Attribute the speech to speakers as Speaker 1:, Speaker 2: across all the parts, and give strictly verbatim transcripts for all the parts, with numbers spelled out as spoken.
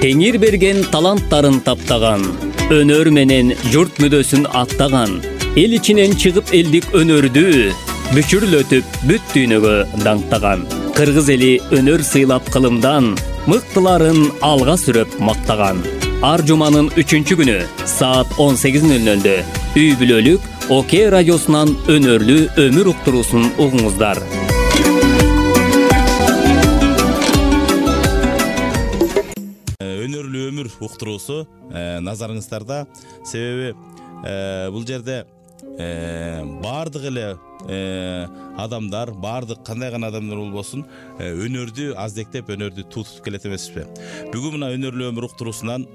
Speaker 1: Теңир берген таланттарын таптаган, өнөр менен журт мүдөсүн аттаган, эл ичинен чыгып элдик өнөрдү бүчүрлөтүп бүт дүйнөгө даңктаган. Кыргыз эли өнөр сыйлап кылымдан, мыктыларын алга сүрөп мактаган. Ар жуманын үчүнчү күнү саат он сегиз нөл нөлдө үй бүлөлүк Оке радиосунан өнөрлүү өмүр уктуруусун угуңуздар.
Speaker 2: Өнөрлүү өмүр уктуруусу назарыңыздарда. Себеби бул жерде баардык эле адамдар, баардык кандай гана адамдар болбосун, өнөрдү аздектеп, өнөрдү тутуп келет эмеспи. Бүгүн мына өнөрлүү өмүр уктуруусунан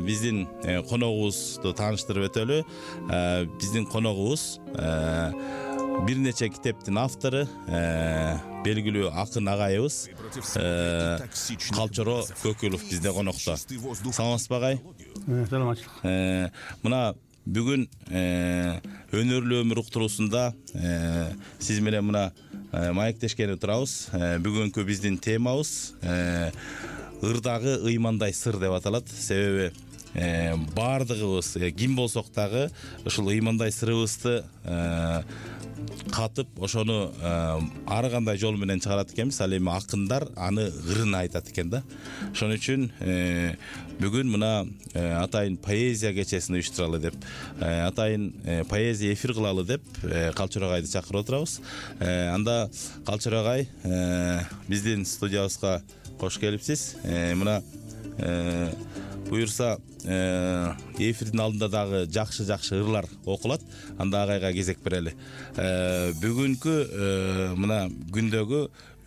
Speaker 2: биздин коногубузду тааныштырып өтөлү. Биздин коногубуз бир нече китептин автору, белгилүү акын агайыбыз Калчоро Көкүлов бизде конокто. Саламатсызбы агай?
Speaker 3: Саламатчылык.
Speaker 2: Мына бүгүн өнөрлүү өмүр уктуруусунда сиз менен мына маектешкени турабыз. Бүгүнкү биздин темабыз ырдагы ыймандай сыр деп аталат. Себеби баардыгыбыз ким болсок дагы ушул ыймандай сырыбызды катып, ошону ар кандай жол менен чыгарат экенбиз. Ал эми акындар аны ырын айтат экен да. Ошон үчүн бүгүн мына атайын поэзия кечесин уюштуралы деп, атайын поэзия эфир кылалы деп Калчоро агайды чакырып отурабыз. Анда Калчоро агай, биздин студиябызга кош келипсиз. Мына буюрса эфирдин алдында дагы жакшы-жакшы ырлар окулат. Анда агайга кезек берели. Бүгүнкү мына күндөгү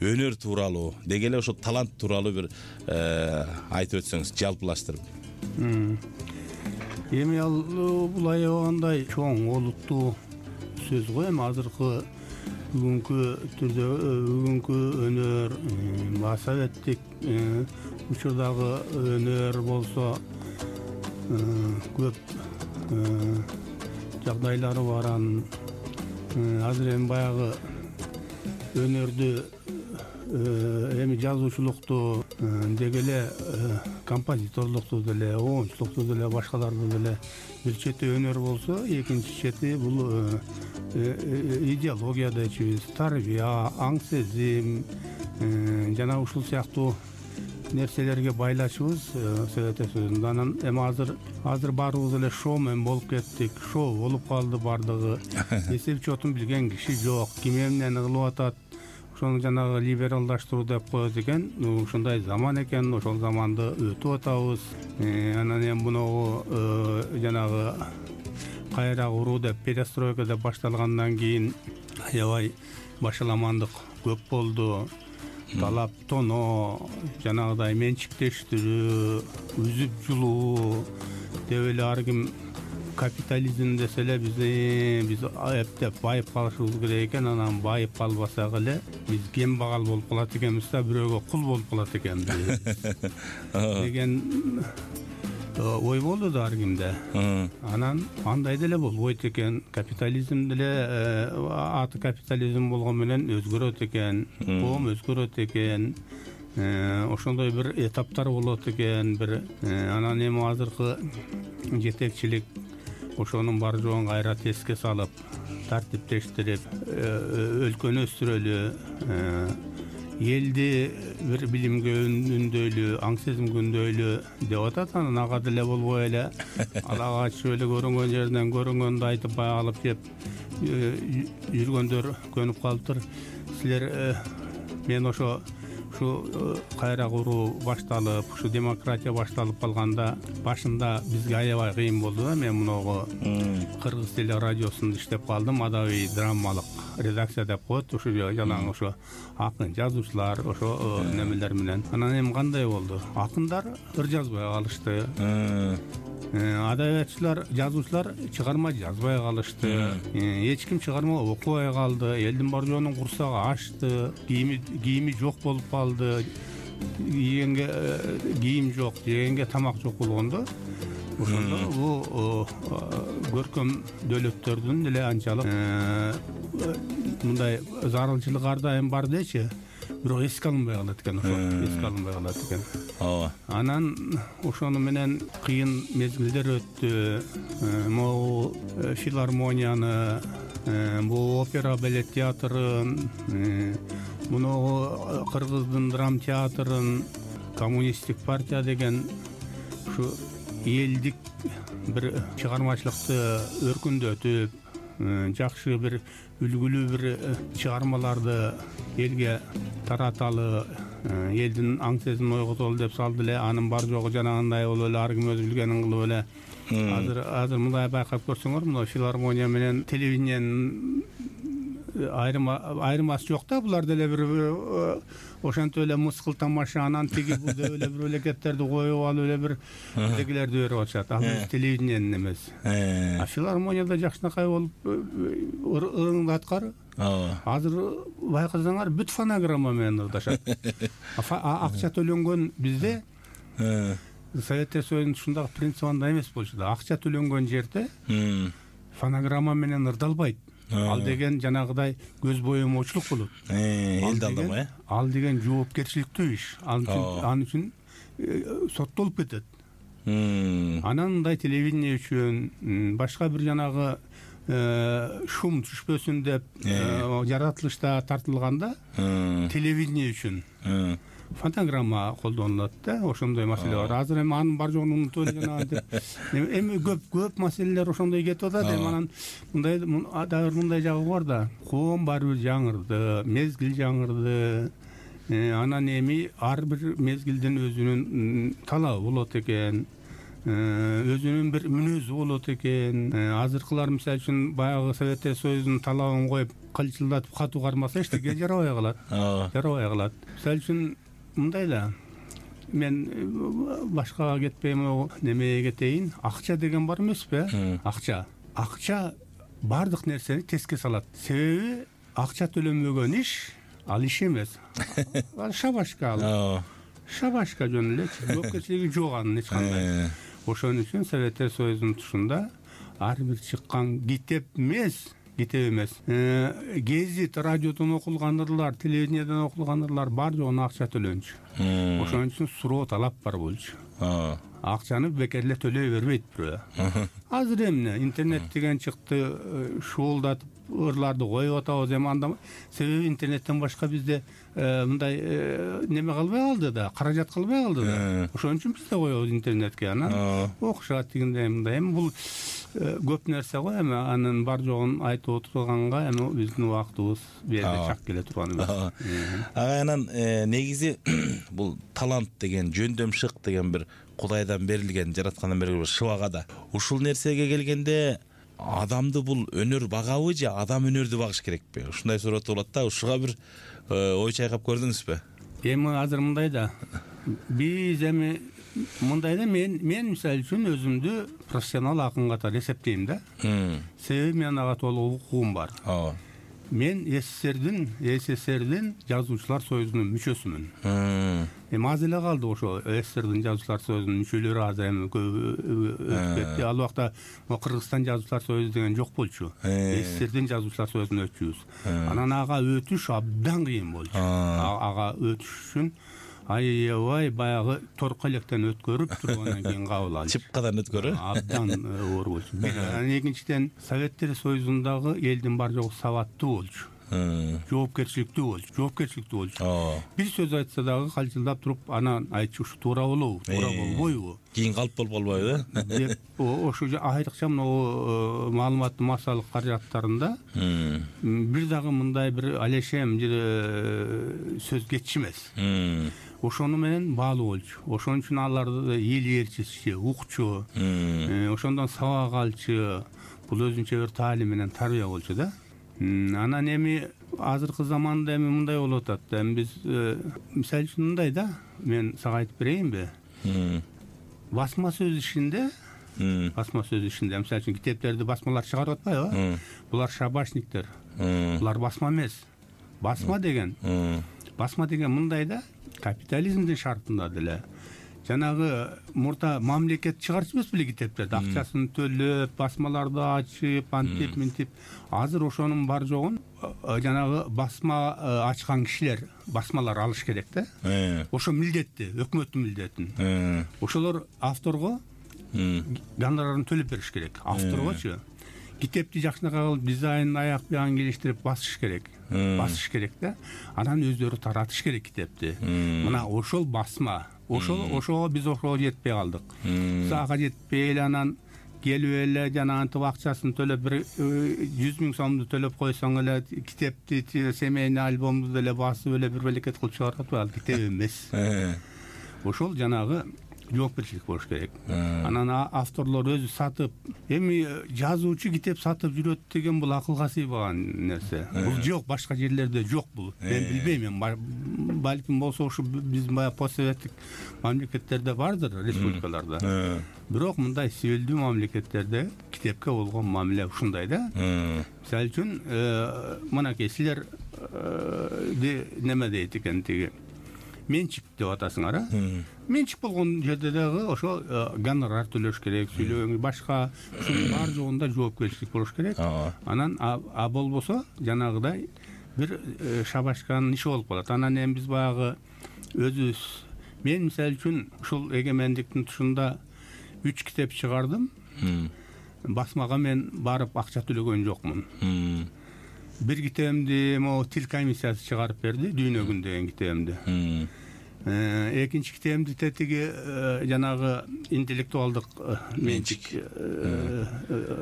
Speaker 2: өнөр тууралуу, деги эле ошо талант тууралуу бир айтып өтсөңүз, жалпылаштырып.
Speaker 3: Эми ал бул аябагандай чоң олуттуу сөз го. Эми азыркы бүгүнкү түрдө бүгүнкү өнөр, советтик учурдагы өнөр болсо көп жагдайлары бар. Азыр эми баягы өнөрдү эми жазуучулукту деги эле композиторлукту деле, оончулукту деле, башкаларды деле бир чети өнөр болсо, экинчи чети бул идеология дейчүбүз, тарбия, аң сезим жана ушул сыяктуу нерселерге байлашыбыз Совет Союзунда. Анан эми азыр азыр баарыбыз эле шоу менен болуп кеттик. Шоу болуп калды бардыгы. Эсеп чотун билген киши жок. Ким эмнени кылып атат, ошону жанагы либералдаштыруу деп коет экен. Ушундай заман экен, ошол заманды өтүп атабыз. Анан эми муногу жанагы кайра куруу деп, перестройка деп башталгандан кийин аябай башаламандык көп болду. Талап тоноо, жанагыдай менчиктештирүү, үзүп жулуу деп эле ар ким капитализм десе эле биз биз эптеп байып калышыбыз керек экен. Анан байып калбасак эле биз кембагал болуп калат экенбиз да, бирөөгө кул болуп калат экенбиз деген ой болду да ар кимде. Анан андай деле болбойт экен. Капитализм деле аты капитализм болгон менен өзгөрөт экен, коом өзгөрөт экен. Ошондой бир этаптар болот экен. Бир анан эми азыркы жетекчилик ошонун бар жоогун кайра теске салып, тартиптештирип, өлкөнү өстүрөлү, элди бир билимге үндөйлү, аң сезимге үндөйлү деп атат. Анан ага деле болбой эле ала качып эле көрүнгөн жерден көрүнгөндү айтып бая алып жеп жүргөндөр көнүп калыптыр. Силер мен ошо ушу кайра куруу башталып, ушу демократия башталып калганда башында бизге аябай кыйын болду да. Мен муногу Кыргыз теле радиосунда иштеп калдым. Адабий драмалык редакция деп коет. Ушу жалаң ошо акын жазуучулар ошо немелер менен. Анан эми кандай болду? Акындар ыр жазбай калышты. Адабиятчылар, жазуучулар чыгарма жазбай калышты. Эч ким чыгарма окубай калды. Элдин бар жоонун курсагы ачты. Кийими кийими жок болуп калды. Кийимге кийим жок, жегенге тамак жок болгондо ошондо бул көркөм дөөлөттөрдүн деле анчалык мындай зарылчылыгы ар дайым бар дечи. бирок эске алынбай калат экен, ошо эске алынбай калат экен.
Speaker 2: ооба.
Speaker 3: Анан ошону менен кыйын мезгилдер өттү. Могу филармонияны, бул опера балет театрын, муну Кыргыздын драм театрын, коммунисттик партия деген ушу элдик бир чыгармачылыкты өркүндөтүп, жакшы бир үлгүлүү бир чыгармаларды элге тараталы, элдин аң сезимин ойготолу деп салды эле. Анын бар жогу жанагындай болуп эле, ар ким өз билгенин кылып эле. Азыр азыр мындай байкап көрсөңөр, мына филармония менен телевидениянын айрым айырмасы жок да. Булар деле бир ошентип эле мыскыл тамаша, анан тиги бул деп эле бир элекеттерди коюп алып эле бир дегилерди берип атышат. Ал телевидениянын эмес. А филармонияда жакшынакай болуп ырыңды аткар. Азыр байкасаңар бүт фонограмма менен ырдашат. Акча төлөнгөн бизде Советтер Союзунун ушундагы принцип андай эмес болчу да. Акча төлөнгөн жерде фонограмма менен ырдалбайт. Ал деген жанагыдай көз боемоочулук болот.
Speaker 2: Элди алдамай.
Speaker 3: Ал деген жоопкерчиликтүү иш. Ал үчүн соттолуп кетет. Анан мындай телевидение үчүн, башка бир жанагы шум түшпөсүн деп жаратылышта тартылганда телевидение үчүн фонограмма колдонулат да. Ошондой маселе бар. Азыр эми анын бар жогун унутуп эле жанагы эми көп көп маселелер ошондой кетип атат. Эми анан мындай дагы мындай жагы бар да. Коом баары бир жаңырды, мезгил жаңырды. Анан эми ар бир мезгилдин өзүнүн талабы болот экен. Өзүнүн бир мүнөзү болот экен. Азыркылар мисалы үчүн баягы Советтер Союзунун талабын коюп кылчылдатып катуу кармаса эчтеке жарабай калат. Жарабай калат. Мисалы үчүн мындай да, мен башкага кетпейм, немеге кетейин. Акча деген бар эмеспи? Акча. Акча бардык нерсени теске салат. Себеби акча төлөнбөгөн иш ал иш эмес. Ал шабашка ал. Шабашка жөн эле, жоопкерчилиги жок анын эч кандай. Ошон үчүн Советтер Союзунун тушунда ар бир чыккан китеп эмес, китеп эмес. Гезит, радиодон окулгандырлар, телевидениеден окулгандырлар бар жогуна акча төлөнчү. Ошон үчүн суроо талап бар болчу. Акчаны бекер эле төлөй бербейт бирөө. Азыр эмне интернет деген чыкты, шуулдатып ырларды коюп атабыз. Эми анда себеби интернеттен башка бизде мындай неме калбай калды да, каражат калбай калды да. Ошон үчүн биз да коебуз интернетке. Анан окушат дегендей мындай. Эми бул көп нерсе го. Эми анын бар жогун айтып отурганга эми биздин убактыбыз берде чак келе турган эмес.
Speaker 2: Ага, анан негизи бул талант деген, жөндөм шык деген бир Кудайдан берилген, жараткандан берилген шыбага да. Ушул нерсеге келгенде адамды бул өнөр багабы же адам өнөрдү багыш керекпи? Ушундай суроо болот да. Ушуга бир ой чайкап көрдүңүзбү?
Speaker 3: Эми азыр мындай да. Биз эми мындай да, мен мен мисалы үчүн өзүмдү профессионал акын катары эсептейм да. Себеби менин ага толук укугум бар. Ооба. Мен СССРдин СССРдин жазуучулар союзунун мүчөсүмүн. Эми аз эле калды ошо СССРдин жазуучулар союзунун мүчөлөрү азыр эми өтүп кетти. Ал убакта Кыргызстан жазуучулар союзу деген жок болчу. СССРдин жазуучулар союзуна өтчүбүз. Анан ага өтүш абдан кыйын болчу. Ага өтүш үчүн аябай баягы торко электен өткөрүп тургандан кийин кабыл алды.
Speaker 2: Чыпкадан өткөрү?
Speaker 3: Абдан оор болчу. Анан экинчиден Советтер Союзундагы элдин бар жогу сабаттуу болчу. Жоопкерчиликтүү болчу, жоопкерчиликтүү болчу. Бир сөз айтса дагы калчылдап туруп анан айтчу, ушу туура болобу, туура болбойбу?
Speaker 2: Кийин калып болуп калбайбы?
Speaker 3: Деп ошо айрыкча могу маалыматтуу массалык каражаттарында бир дагы мындай бир алешем сөз кетчү эмес. Ошону менен баалуу болчу. Ошон үчүн аларды эл ээрчисчи, укчу, ошондон сабак алчу. Бул өзүнчө бир таалим менен тарбия болчу да. Анан эми азыркы заманда эми мындай болуп атат. Эми биз мисалы үчүн мындай да, мен сага айтып берейинби? Басма сөз ишинде, басма сөз ишинде, мисалы үчүн китептерди басмалар чыгарып атпайбы? Булар шабашниктер. Булар басма эмес. Басма деген, басма деген мындай да, капитализмдин шартында деле жанагы мурда мамлекет чыгарчу эмес беле китептерди, акчасын төлөп, басмаларды ачып, антип мынтип. Азыр ошонун бар жогун жанагы басма ачкан кишилер басмалар алыш керек да. Ошо милдетти, өкмөттүн милдетин. Ошолор авторго гонорарын төлөп бериш керек. Авторгочу китепти жакшынакай кылып, дизайн аяк бягын келиштирип басыш керек. Басыш керек да. Анан өздөрү таратыш керек китепти. Мына ошол басма. Ошол ошого биз ошого жетпей калдык. Сага жетпей эле анан келип эле жана антип акчасын төлөп бир жүз миң сомду төлөп койсоң эле китепти, семейный альбомду деле басып эле бир белекет кылып чыгарып атпайбы? Ал китеп эмес. Ошол жанагы жоопкерчилик болуш керек. Анан авторлор өзү сатып, эми жазуучу китеп сатып жүрөт деген бул акылга сыйбаган нерсе. Бул жок, башка жерлерде жок бул. Мен билбейм, балким болсо ушу биздин баягы постсоветтик мамлекеттерде бардыр, республикаларда. Бирок мындай сибилдүү мамлекеттерде китепке болгон мамиле ушундай да. Мисалы үчүн мынакей силер неме дейт экен тиги менчик деп атасыңар, а? Менчик болгон жерде дагы ошо гонорар төлөш керек, сүйлөгөнгө башка ушунун бар жогунда жоопкерчилик болуш керек. Анан а болбосо жанагыдай бир шабашканын иши болуп калат. Анан эми биз баягы өзүбүз, мен мисалы үчүн ушул эгемендиктин тушунда үч китеп чыгардым. Басмага мен барып акча төлөгөн жокмун. Бир китебимди могу тил комиссиясы чыгарып берди, Дүйнө күн деген китебимди. Экинчи китебимди тетиги жанагы интеллектуалдык менчик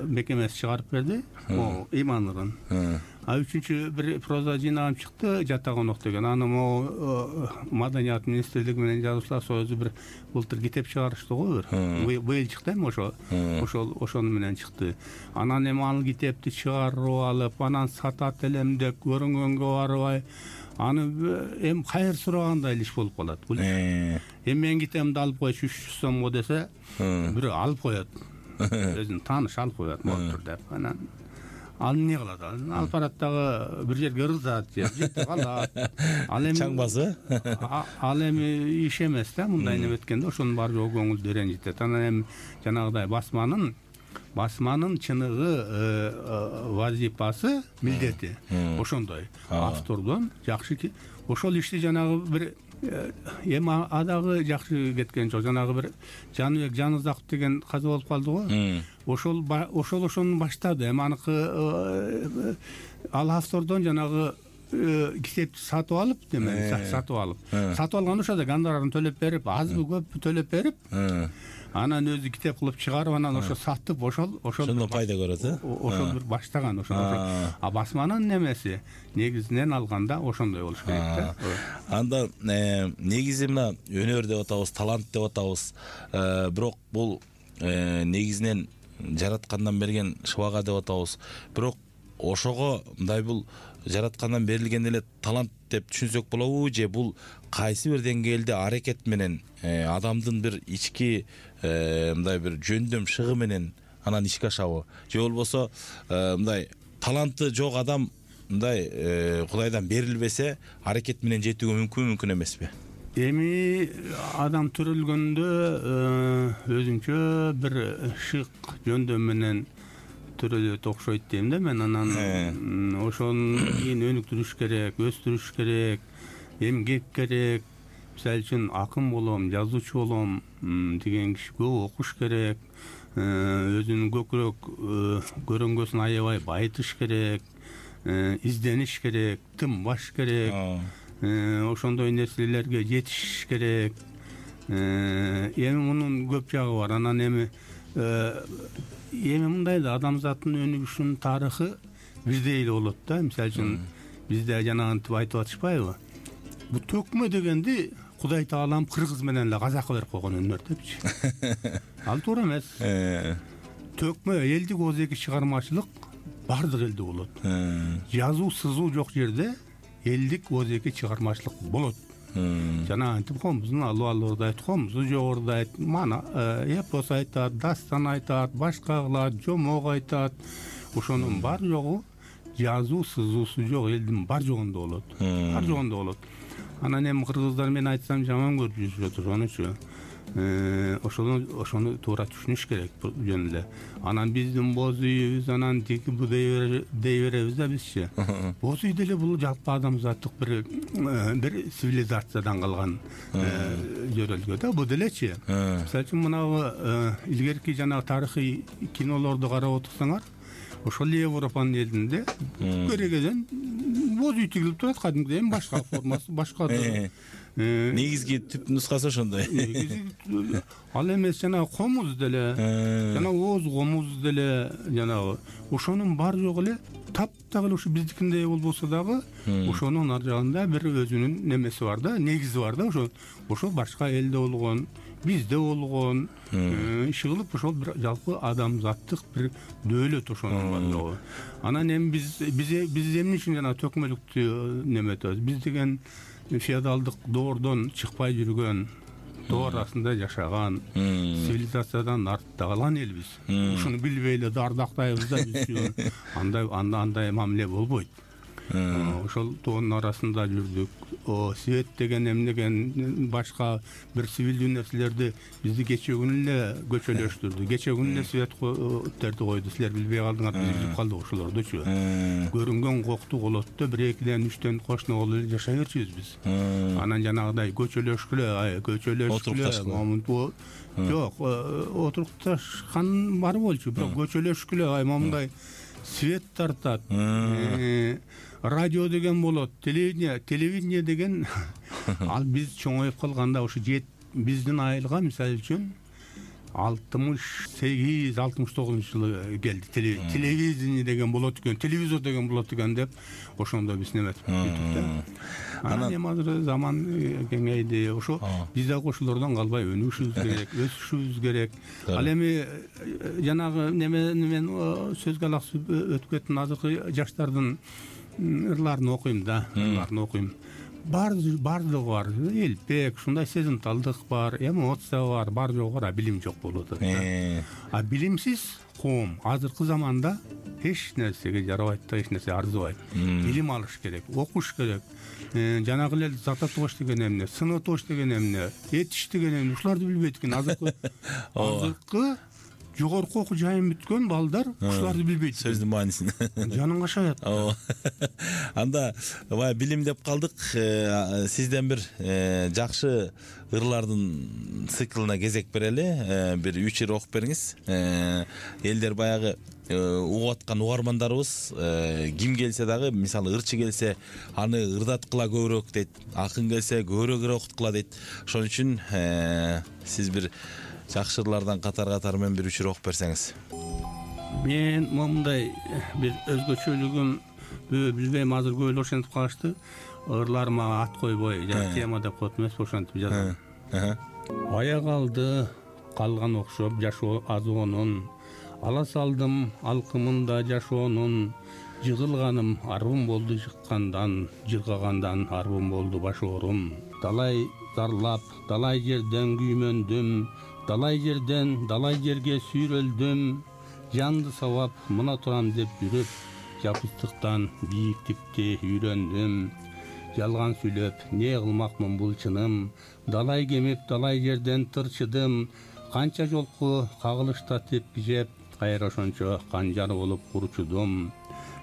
Speaker 3: мекемеси чыгарып берди, могу Иманырын. А үчүнчү бир проза жыйнагым чыкты, Жатагонок деген. Аны могу Маданият министрлиги менен жазуучулар союзу бир былтыр китеп чыгарышты го бир. Быйыл чыкты эми ошо. Ошол ошону менен чыкты. Анан эми ал китепти чыгарып алып, анан сатат элем деп көрүнгөнгө барбай, аны эми кайыр сурагандай иш болуп калат. Бул эми мен китебимди алып коюш үч жүз сомго десе, бирөө алып коет. Өзүнүн тааныш алып коет болуптур деп. Анан ал эмне кылат? Алып барат дагы бир жерге ырзат, жетип калат. Ал эми
Speaker 2: чаңбасы?
Speaker 3: Ал эми иш эмес да, мындай неметкенде ошонун бар жогу көңүлдү ренжитет. Анан эми жанагыдай басманын басманын чыныгы вазипасы, милдети ошондой. Автордон жакшы ки ошол ишти жанагы бир эми адагы жакшы кеткен жок. Жанагы бир Жаныбек Жанызаков деген каза болуп калды го. Ошол ошол ошону баштады. Эми аныкы ал автордон жанагы китепти сатып алып, деме, сатып алып. Сатып алган ошода гонорарын төлөп берип, азбы көппү төлөп берип, анан өзү китеп кылып чыгарып, анан ошо сатып, ошол ошол
Speaker 2: ошондон пайда көрөт, э?
Speaker 3: Ошол бир баштаган, ошол. А басманын немеси негизинен алганда ошондой болуш керек да.
Speaker 2: Анда негизи мына өнөр деп атабыз, талант деп атабыз. Бирок бул негизинен жараткандан берген шыбага деп атабыз. Бирок ошого мындай бул жараткандан берилген эле талант деп түшүнсөк болобу, же бул кайсы бир деңгээлде аракет менен адамдын бир ички мындай бир жөндөм шыгы менен анан ишке ашабы, же болбосо мындай таланты жок адам мындай Кудайдан берилбесе аракет менен жетүүгө мүмкүн мүмкүн эмеспи?
Speaker 3: Эми адам төрөлгөндө өзүнчө бир шык жөндөм менен төрөлөт окшойт дейм да мен. Анан ошонун кийин өнүктүрүш керек, өстүрүш керек, эмгек керек. Мисалы үчүн акын болом, жазуучу болом деген киши көп окуш керек, өзүнүн көкүрөк көрөңгөсүн аябай байытыш керек, издениш керек, тынбаш керек, ошондой нерселерге жетиш керек. Эми мунун көп жагы бар. Анан эми эми мындай да, адамзаттын өнүгүшүнүн тарыхы бирдей эле болот да. Мисалы үчүн бизде жанагынтип айтып атышпайбы? Бу төкмө дегенди Кудай Таалам кыргыз менен эле казакка берип койгон өнөр депчи. Ал туура эмес. Төкмө элдик оозеки чыгармачылык бардык элде болот. Жазуу, сызуу жок жерде элдик оозеки чыгармачылык болот. Жана антип комузун алып алырда айт, комузу жогоруда айт, мана эпос айтат, дастан айтат, башка кылат, жомок айтат. Ошонун бар жогу жазуу, сызуусу жок элдин бар жогунда болот. Бар жогунда болот. Анан эми кыргыздар мен айтсам жаман көрүп жүрүшөт ошонучу. ошону ошону туура түшүнүш керек жөн эле. Анан биздин боз үйүбүз анан тиги бу дей беребиз да бизчи. Боз үй деле бул жалпы адамзаттык бир бир цивилизациядан калган жөрөлгө да, бу делечи. Мисалы үчүн мынабу илгерки жанагы тарыхый кинолорду карап отурсаңар, ошол Европанын элинде керегеден боз үй тигилип турат, кадимки эми башка формасы, башка
Speaker 2: негизги түп нускасы ошондой.
Speaker 3: Ал эмес жанагы комуз деле, жанагы ооз комуз деле, жанагы ошонун бар жогу эле таптак эле ушу биздикиндей болбосо дагы ошонун ар жагында бир өзүнүн немеси бар да, негизи бар да. Ошо ошол башка элде болгон, бизде болгон иши кылып ошол бир жалпы адамзаттык бир дөөлөт ошонун бар жогу. Анан эми биз биз биз эмне үчүн жана төкмөлүктү неметебиз? Биз деген феодалдык доордон чыкпай жүргөн, доор арасында жашаган, цивилизациядан артта калган элбиз. Ушуну билбей эле дардактайбыз да биз. Андай андай мамиле болбойт. Ошол тоонун арасында жүрдүк. О свет деген эмнеген башка бир цивилдүү нерселерди бизди кечээ күнү эле көчөлөштүрдү. Кечээ күнү эле светтерди койду. Силер билбей калдыңар, биз билип калдык ошолордучу. Көрүнгөн кокту колотту бир экиден үчтөн кошуна болуп эле жашай берчүбүз биз. Анан жанагыдай көчөлөшкүлө, ай көчөлөшкүлө, момунту жок, отурукташкан бар болчу, бирок көчөлөшкүлө, ай момундай свет тартат. Радио деген болот, телевидение, телевидение деген ал биз чоңоюп калганда ошо биздин айылга мисалы үчүн алтымыш сегиз алтымыш тогузунчу жылы келди. Телевидение деген болот экен, телевизор деген болот экен деп ошондо биз неметип бүттүк да. Анан эми азыр заман кеңейди. Ошо биз дагы ошолордон калбай өнүгүшүбүз керек, өсүшүбүз керек. Ал эми жанагы немени мен сөзгө алаксып өтүп кеттим. Азыркы жаштардын ырларын окуйм да, ырларын окуйм. Бар бардыгы бар. Элпек, ушундай сезимталдык бар, эмоция бар, бар жогу бар, а билим жок болуп атат. А билимсиз коом азыркы заманда эч нерсеге жарабайт да, эч нерсе арзыбайт. Билим алыш керек, окуш керек. Жанагы эле зататош деген эмне, сынотош деген эмне, этиш деген эмне, ушуларды билбейт экен. Азыркы азыркы жогорку окуу жайын бүткөн балдар ушуларды билбейт.
Speaker 2: Сөздүн маанисин
Speaker 3: жаның кашаят.
Speaker 2: Анда бая билим деп калдык. Сизден бир жакшы ырлардын циклына кезек берели. Бир үч ыр окуп бериңиз. Элдер баягы угуп аткан угармандарыбыз ким келсе дагы, мисалы ырчы келсе аны ырдаткыла көбүрөөк дейт, акын келсе көбүрөөк ыр окуткыла дейт. Ошон үчүн сиз бир жакшы ырлардан катар-катар менен бир үч ыр окуп берсеңиз.
Speaker 3: Мен момундай бир өзгөчөлүгүм билбейм, азыр көп эле ошентип калышты. Ырларыма ат койбой, жана тема деп коет эмес, ошентип жазам. Аяк алды калган окшоп жашоо азоонун, ала салдым алкымында жашоонун, жыгылганым арбым болду жыккандан, жыргагандан арбым болду баш оорум. Далай зарлап, далай жерден күймөндүм, далай жерден далай жерге сүйрөлдүм, жанды сабап мына турам деп жүрүп, жапыстыктан бийиктикти үйрөндүм. Жалган сүйлөп не кылмакмын бул чыным, далай кемип далай жерден тырчыдым, канча жолку кагылышта тепки жеп, кайра ошончо канжар болуп курчудум.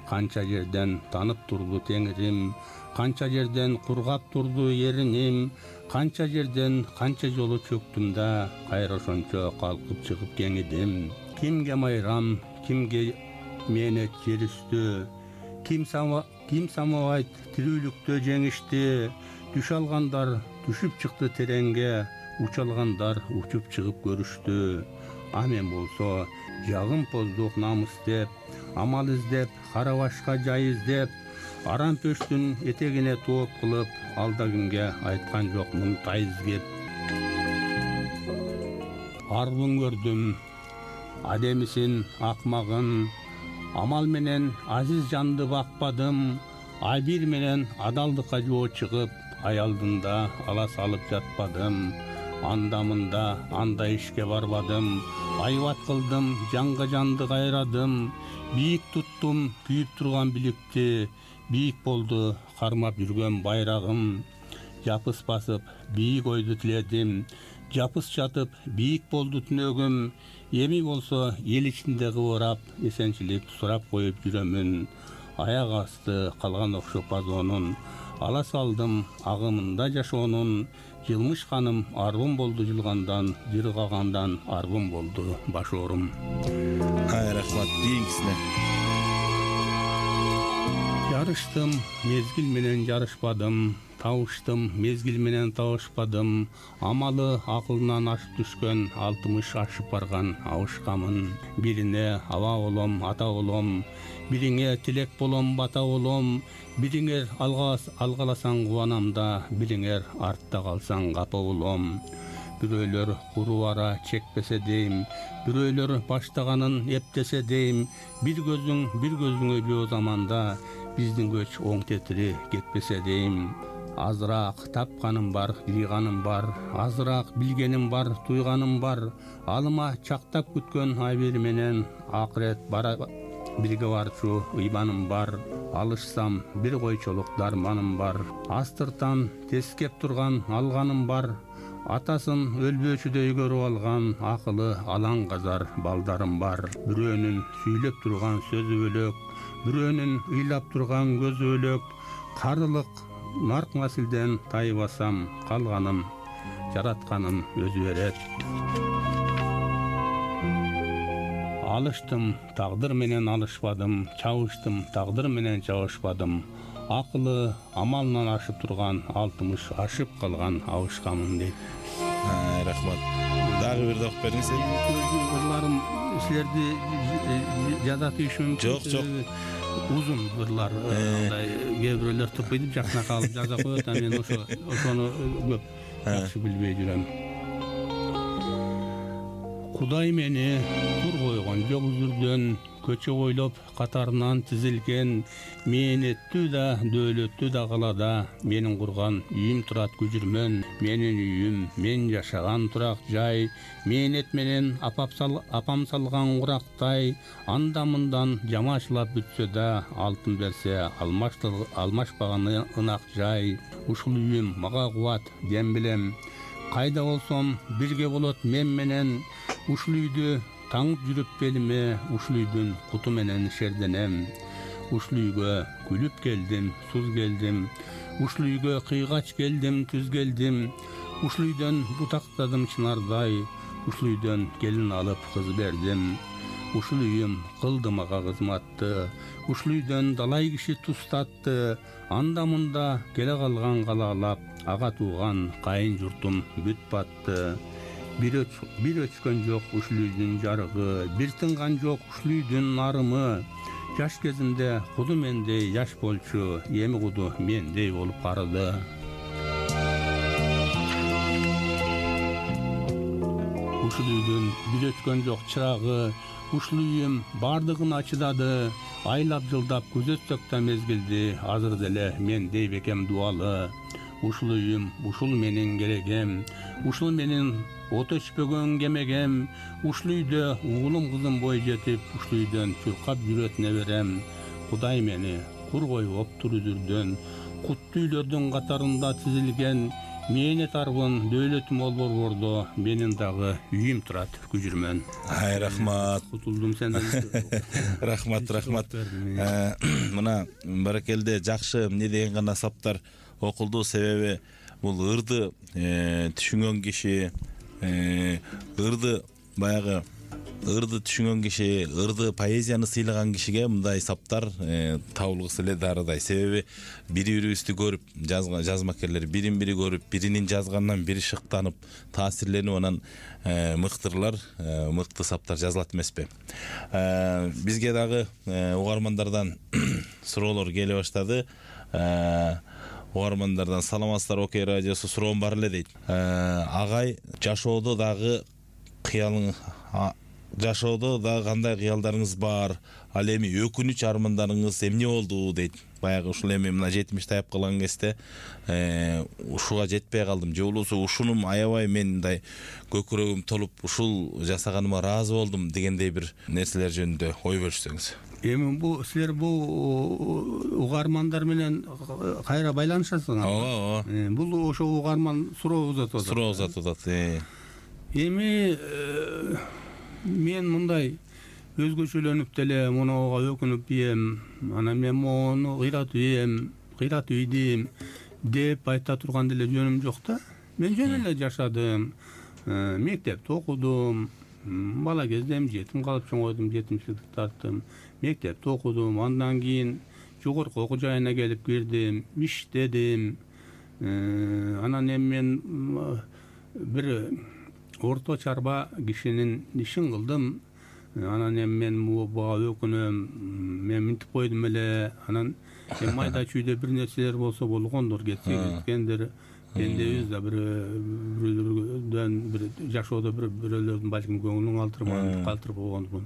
Speaker 3: Канча жерден танып турду теңирим, канча жерден кургап турду эриним, канча жерден канча жолу чөктүм да, кайра ошончо калкып чыгып кеңидим. Кимге майрам, кимге менет жер үстү, ким сама ким самабайт тирүүлүктө жеңишти. Түш алгандар түшүп чыкты тереңге, уч алгандар учуп чыгып көрүштү. А мен болсо жагымпоздук намыс деп, амал издеп, кара башка жай издеп, арам пөштүн этегине тооп кылып, алда кимге айткан жокмун тайыз кеп. Арбын көрдүм адемисин акмагын, амал менен азиз жанды бакпадым, айбир менен адалдыкка жоо чыгып, аялдында ала салып жатпадым. Анда-мында андай ишке барбадым, айбат кылдым, жанга жанды кайрадым. Бийик туттум күйүп турган биликти, бийик болду кармап жүргөн байрагым. Жапыс басып бийик ойду тиледим, жапыс жатып бийик болду түнөгүм, эми болсо эл ичинде кыбырап эсенчилик сурап коюп жүрөмүн. Аяк асты калган окшоп азонун, ала салдым агымында жашоонун. Жылмышканым арбым болду жылгандан, жыргагандан арбым болду баш оорум.
Speaker 2: Ай рахмат, кийинкисине.
Speaker 3: Жарыштым, мезгил менен жарышпадым, табыштым, мезгил менен табышпадым. Амалы акылынан ашып түшкөн, алтымыш ашып барган абышкамын. Бирине аба болом, ата болом, бириңе тилек болом, бата болом. Бириңер алгаласаң кубанам да, бириңер артта калсаң капа болом. Бирөөлөр куру ара чекпесе дейм, бирөөлөр баштаганын эптесе дейм. Бир көзүң бир көзүңө жөө заманда, биздин көч оң тетири кетпесе дейм. Азыраак тапканым бар, жыйганым бар, азыраак билгеним бар, туйганым бар. Алыма чактап күткөн айбир менен акырет бара бирге барчу ыйбаным бар. Алышсам бир койчолук дарманым бар. Астыртан тескеп турган алганым бар. Атасын өлбөөчүдөй көрүп алган акылы алаң казар балдарым бар. Бирөөнүн сүйлөп турган сөзү бөлөк, бирөөнүн ыйлап турган көзү бөлөк. Карылык нарк насилден тайбасам, калганым жаратканым өзү берет. Алыштым, тагдыр менен алышпадым, чабыштым, тагдыр менен чабышпадым. Акылы амалынан ашып турган, алтымыш ашып калган абышкамын дейт.
Speaker 2: Рахмат. Дагы бир окуп бериңиз.
Speaker 3: Ырларым силерди жада тийиши мүмкүн.
Speaker 2: Жок, жок.
Speaker 3: Узун ырлар, андай кээ бирөөлөр тупуйдуп жакына калып жаза коет, а мен ошо ошону көп жакшы билбей жүрөм. Кудай мени кур койгон жок үзүрдөн, көчө бойлоп катарынан тизилген. Мээнеттүү да, дөөлөттүү да калада менин курган үйүм турат күжүрмөн. Менин үйүм, мен жашаган турак жай. Мээнет менен апам салган курактай. Анда мындан жамачылап бүтсө да, алтын берсе алмашпаган ынак жай. Ушул үйүм мага кубат, дем билем. Кайда болсом бирге болот мен менен. Ушул үйдү таңып жүрүп белиме, ушул үйдүн куту менен шерденем. Ушул үйгө күлүп келдим, суз келдим. Ушул үйгө кыйгач келдим, түз келдим. Ушул үйдөн бутактадым чынардай. Ушул үйдөн келин алып кыз бердим. Ушул үйүм кылды мага кызматты. Ушул үйдөн далай киши тустатты. Анда мында келе калган калаалап, ага тууган кайын журтум бүт батты. Бир өчкөн жок ушул үйдүн жарыгы, бир тынган жок ушул үйдүн нарымы. Жаш кезимде куду мендей жаш болчу, эми куду мендей болуп карыды. Ушул үйдүн бир өчкөн жок чырагы, ушул үйүм бардыгын ачыдады. Айлап жылдап күзөтсөк да мезгилди, азыр деле мендей бекем дубалы. Ушул үйүм, ушул менин керегем, ушул менин от өчпөгөн кемегем. Ушул үйдө уулум кызым бой жетип, ушул үйдөн чуркап жүрөт неберем. Кудай мени кур койуп тур үзүрдөн, куттуу үйлөрдүн катарында тизилген. Мээнет арбын, дөөлөтүм ол борбордо, менин дагы үйүм турат күжүрмөн.
Speaker 2: Ай рахмат.
Speaker 3: Кутулдум сенден.
Speaker 2: Рахмат, рахмат. Мына баракелде жакшы эмне деген гана саптар окулду, себеби бул ырды түшүнгөн киши, ырды баягы ырды түшүнгөн киши, ырды поэзияны сыйлаган кишиге мындай саптар табылгысы эле дарыдай. Себеби бири-бирибизди көрүп, жазмакерлер бирин-бири көрүп, биринин жазганынан бири шыктанып, таасирленип, анан мыктырлар, мыкты саптар жазылат эмеспи. Бизге дагы угармандардан суроолор келе баштады. Угармандардан саламатсыздар, Окей радиосу, суроом бар эле дейт. Агай, жашоодо дагы кыялың жашоодо дагы кандай кыялдарыңыз бар? Ал эми өкүнүч армандарыңыз эмне болду дейт. Баягы ушул эми мына жетимиш таяп калган кезде ушуга жетпей калдым, же болбосо ушунум аябай мен мындай көкүрөгүм толуп ушул жасаганыма ыраазы болдум дегендей бир нерселер жөнүндө ой бөлүшсөңүз.
Speaker 3: Эми бу силер бу угармандар менен кайра байланышасыңар?
Speaker 2: Ооба, ооба.
Speaker 3: Бул ошо угарман суроо узатып атат.
Speaker 2: Суроо узатып атат.
Speaker 3: эми мен мындай өзгөчөлөнүп деле мунуга өкүнүп ийем, анан мен мону кыйратып ийем, кыйратып ийдим деп айта турган деле жөнүм жок да. Мен жөн эле жашадым, мектепте окудум, бала кезден жетим калып чоңойдум, жетимчиликти тарттым, мектепте окудум, андан кийин жогорку окуу жайына келип кирдим, иштедим. Анан эми мен бир орто чарба кишинин ишин кылдым. Анан эми мен буга өкүнөм, мен минтип койдум эле. Анан эми майда чүйдө бир нерселер болсо болгондур, кетсе кеткендир. Пендебиз да бир бирөөлөрдөн бир жашоодо бир бирөөлөрдүн балким көңүлүн калтырман калтырып койгондумун.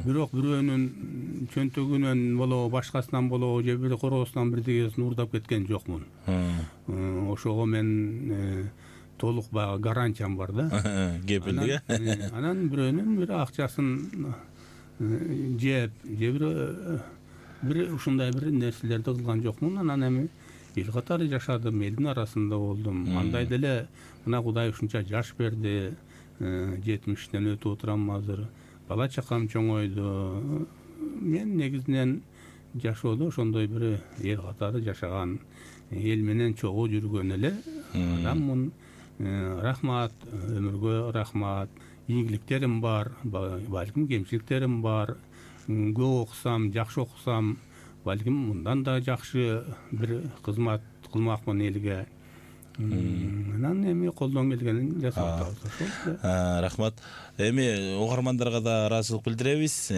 Speaker 3: Бирок бирөөнүн чөнтөгүнөн болобу, башкасынан болобу, же бир короосунан бирдегесин уурдап кеткен жокмун. Ошого мен толук баягы гарантиям бар да.
Speaker 2: Кепилдик.
Speaker 3: Анан бирөөнүн бир акчасын жеп, же бир бир ушундай бир нерселерди кылган жокмун. Анан эми эл катары жашадым, элдин арасында болдум. Андай деле мына Кудай ушунча жаш берди, жетимиштен өтүп отурам азыр. Бала чакам чоңойду. Мен негизинен жашоодо ошондой бир эл катары жашаган, эл менен чогуу жүргөн эле адаммын. Рахмат, өмүргө рахмат. Ийгиликтерим бар, балким кемчиликтерим бар. Көп окусам, жакшы окусам, балким мындан да жакшы бир кызмат кылмакмын элге. Анан эми колдон келгенин жасап атабыз.
Speaker 2: Рахмат. Эми угармандарга да ыраазычылык билдиребиз.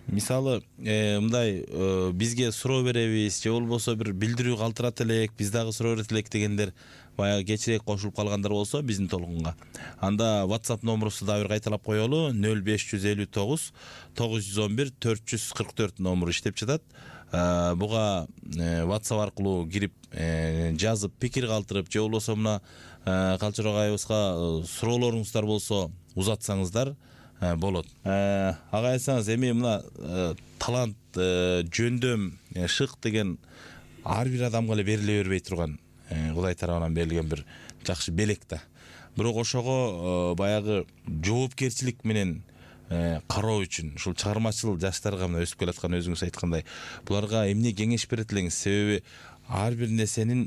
Speaker 2: Мисалы, мындай бизге суроо беребиз, же болбосо бир билдирүү калтырат элек, биз дагы суроо берет элек дегендер баягы кечирээк кошулуп калгандар болсо биздин толкунга. Анда WhatsApp номурубузду дагы бир кайталап коелу: нөл беш жүз элүү тогуз тогуз жүз он бир төрт жүз кырк төрт номуру иштеп жатат. Буга WhatsApp аркылуу кирип жазып, пикир калтырып, же болбосо мына Калчырок айыбызга суроолоруңуздар болсо узатсаңыздар болот. Ага айтсаңыз, эми мына талант, жөндөм, шык деген ар бир адамга эле бериле бербей турган, Кудай тарабынан берилген бир жакшы белек да. Бирок ошого баягы жоопкерчилик менен кароо үчүн ушул чыгармачыл жаштарга мына өсүп келаткан өзүңүз айткандай, буларга эмне кеңеш берет элеңиз? Себеби ар бир нерсенин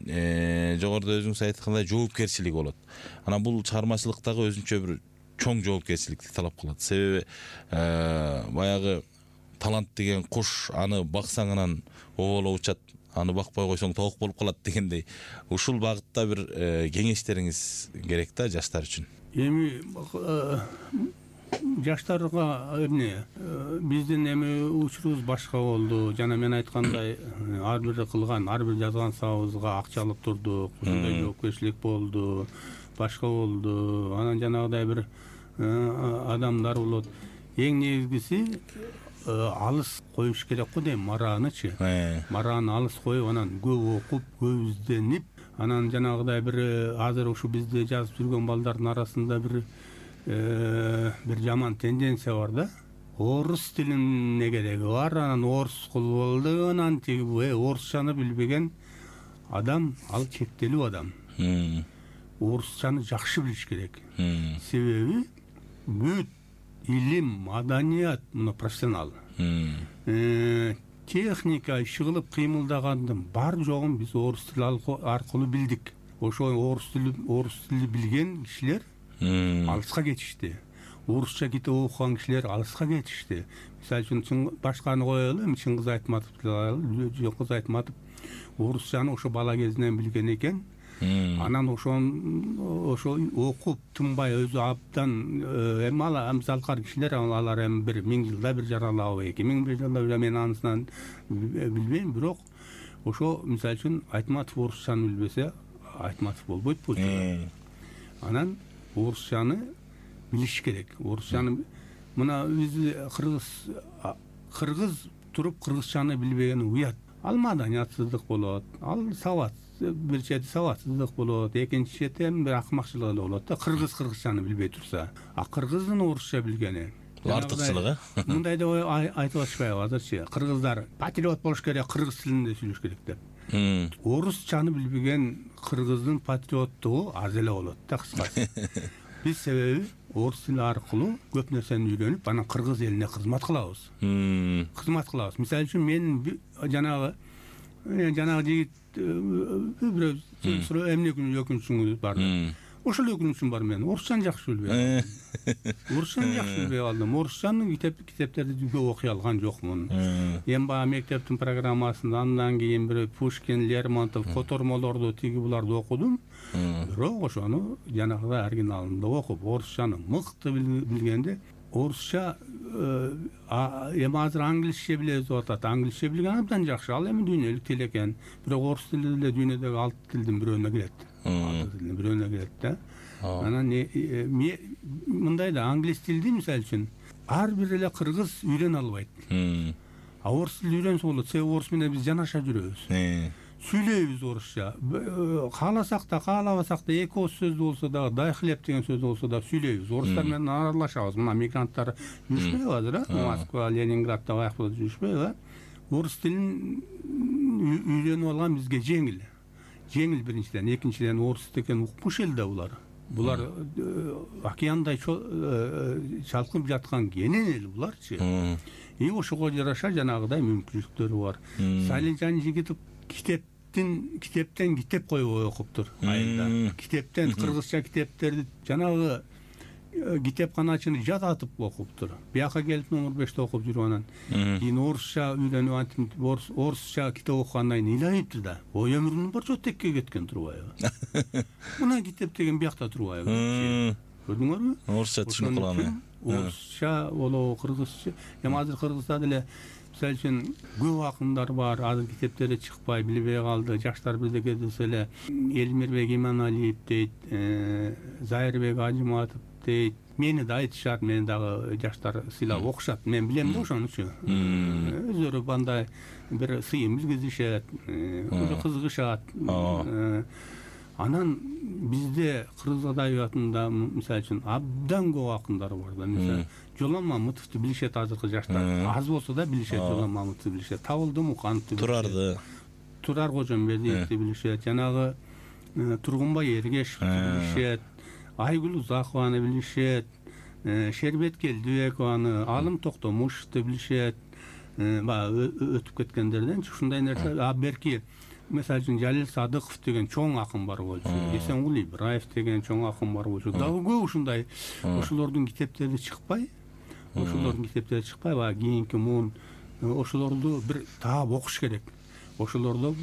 Speaker 2: жогоруда өзүңүз айткандай жоопкерчилиги болот. Анан бул чыгармачылыктагы өзүнчө бир чоң жоопкерчиликти талап кылат. Себеби баягы талант деген куш, аны баксаң анан оболоп учат, аны бакпай койсоң тоок болуп калат дегендей. Ушул багытта бир кеңештериңиз керек да жаштар үчүн.
Speaker 3: Эми жаштарга эмне, биздин эми учурубуз башка болду. Жана мен айткандай, ар бир кылган, ар бир жазган сабыбызга акча алып турдук. Ушундай жоопкерчилик болду, башка болду. Анан жанагыдай бир адамдар болот. Эң негизгиси алыс коюш керек го дейм, мараанычы. Марааны алыс коюп, анан көп окуп, көп изденип, анан жанагыдай бир азыр ушу бизде жазып жүргөн балдардын арасында бир бир жаман тенденция бар да. Орус тилине кереги бар, анан орус кылып алды, анан тиги орусчаны билбеген адам, ал чектелүү адам. Орусчаны жакшы билиш керек. Себеби бүт илим, маданият муну профессионал. Техника иши кылып кыймылдагандын бар жогун биз орус тили аркылуу билдик. Ошо орус тили орус тили билген кишилер алыска кетишти. Орусча китеп окуган кишилер алыска кетишти. Мисалы үчүн башканы коелу, эми Чыңгыз Айтматовду алалы. Чыңгыз Айтматов орусчаны ошо бала кезинен билген экен. Анан ошон ошо окуп тынбай өзү абдан эми ала амсалкар кишилер, алар эми бир миң жылда бир жаралабы, эки миң бир жылда мен анысынан билбейм, бирок ошо мисалы үчүн Айтматов орусчаны билбесе, Айтматов болбойт бул. Анан орусчаны билиш керек. Орусчаны мына биз кыргыз кыргыз туруп кыргызчаны билбеген уят. Ал маданиятсыздык болот, ал сабат, бир чети сабатсыздык болот, экинчи чети эми бир акмакчылык болот да, кыргыз кыргызчаны билбей турса. А кыргыздын орусча билгени
Speaker 2: артыкчылыгы.
Speaker 3: Мындай деп айтып атышпайбы азырчы? Кыргыздар патриот болуш керек, кыргыз тилинде сүйлөш керек деп. Орусчаны билбеген кыргыздын патриоттугу аз эле болот да, кыскасы. Биз себеби орус тили аркылуу көп нерсени үйрөнүп, анан кыргыз элине кызмат кылабыз. Кызмат кылабыз. Мисалы үчүн мен жанагы жанагы жигит бирөө суроо эмне үчүн өкүнүчүңүз бар. Ошол өкүнүчүм бар, мен орусчаны жакшы билбей калдым. Орусчаны жакшы билбей калдым. Орусчаны китеп китептерди көп окуй алган жокмун. Эми баягы мектептин программасында андан кийин бир Пушкин, Лермонтов котормолорду тиги буларды окудум. Бирок ошону жанагыдай оригиналында окуп, орусчаны мыкты билгенде, орусча эми азыр англисче билебиз деп атат. Англисче билген абдан жакшы. Ал эми дүйнөлүк тил экен. Бирок орус тили деле дүйнөдөгү алты тилдин бирөөнө кирет. Алты тилдин бирөөнө кирет да. Анан мындай да, англис тилди мисалы үчүн ар бир эле кыргыз үйрөнө албайт. А орус тилди үйрөнсө болот. Себеби орус менен биз жанаша жүрөбүз. Сүйлөйбүз орусча. Кааласак да, каалабасак да, эки ооз сөз болсо да, дай хлеб деген сөз болсо да сүйлөйбүз. Орустар менен аралашабыз. Мына мигранттар жүрүшпөйбү азыр, э? Москва, Ленинградда баягы жүрүшпөйбү, э? Орус тилин үйрөнүп алган бизге жеңил. Жеңил биринчиден, экинчиден орус деген укмуш эл да булар. Булар океандай чалкынып жаткан кенен эл буларчы. И ошого жараша жанагыдай мүмкүнчүлүктөрү бар. Салижан Жигитов китептин китептен китеп коюп окуптур айында. Китептен кыргызча китептерди жанагы китепканачыны жататып окуптур. Бияка келип номер беште окуп жүрүп анан кийин орусча үйрөнүп антип орусча китеп окугандан кийин ыйлайыптыр да. Ой, өмүрүнүн барча текке кеткен турбайбы? Мына китеп деген биякта турбайбы? Көрдүңөрбү?
Speaker 2: Орусча түшүнүп калган.
Speaker 3: Орусча болобу, кыргызча. Эми азыр Кыргызда деле мисалы үчүн көп акындар бар, азыр китептери чыкпай, билбей калды. Жаштар бирдеке десе эле Элмирбек Иманалиев дейт, Зайырбек Ажыматов дейт. Мени да айтышат, мени дагы жаштар сыйлап окушат. Мен билем да ошонучу. Өздөрү бандай бир сыйын билгизишет, өзү кызыгышат. Анан бизде кыргыз адабиятында мисалы үчүн абдан көп акындар бар да. Мисалы Жолон Мамытовду билишет азыркы жаштар. Аз болсо да билишет Жолон Мамытовду билишет. Табылды Мукановду,
Speaker 2: Турарды,
Speaker 3: Турар Кожомбердиевди билишет. Жанагы Тургунбай Эргешевди билишет. Айгүл Узакованы билишет. Шербет Келдибекованы, Алым Токтомушевду билишет. Баягы өтүп кеткендерден ушундай нерсе. А берки мисалы үчүн Жалил Садыков деген чоң акын бар болчу. Эсенгул Ибраев деген чоң акын бар болчу. Дагы көп ушундай. Ошолордун китептери чыкпай, ошолордун китептери чыкпай, баягы кийинки муун ошолорду бир таап окуш керек. Ошолордо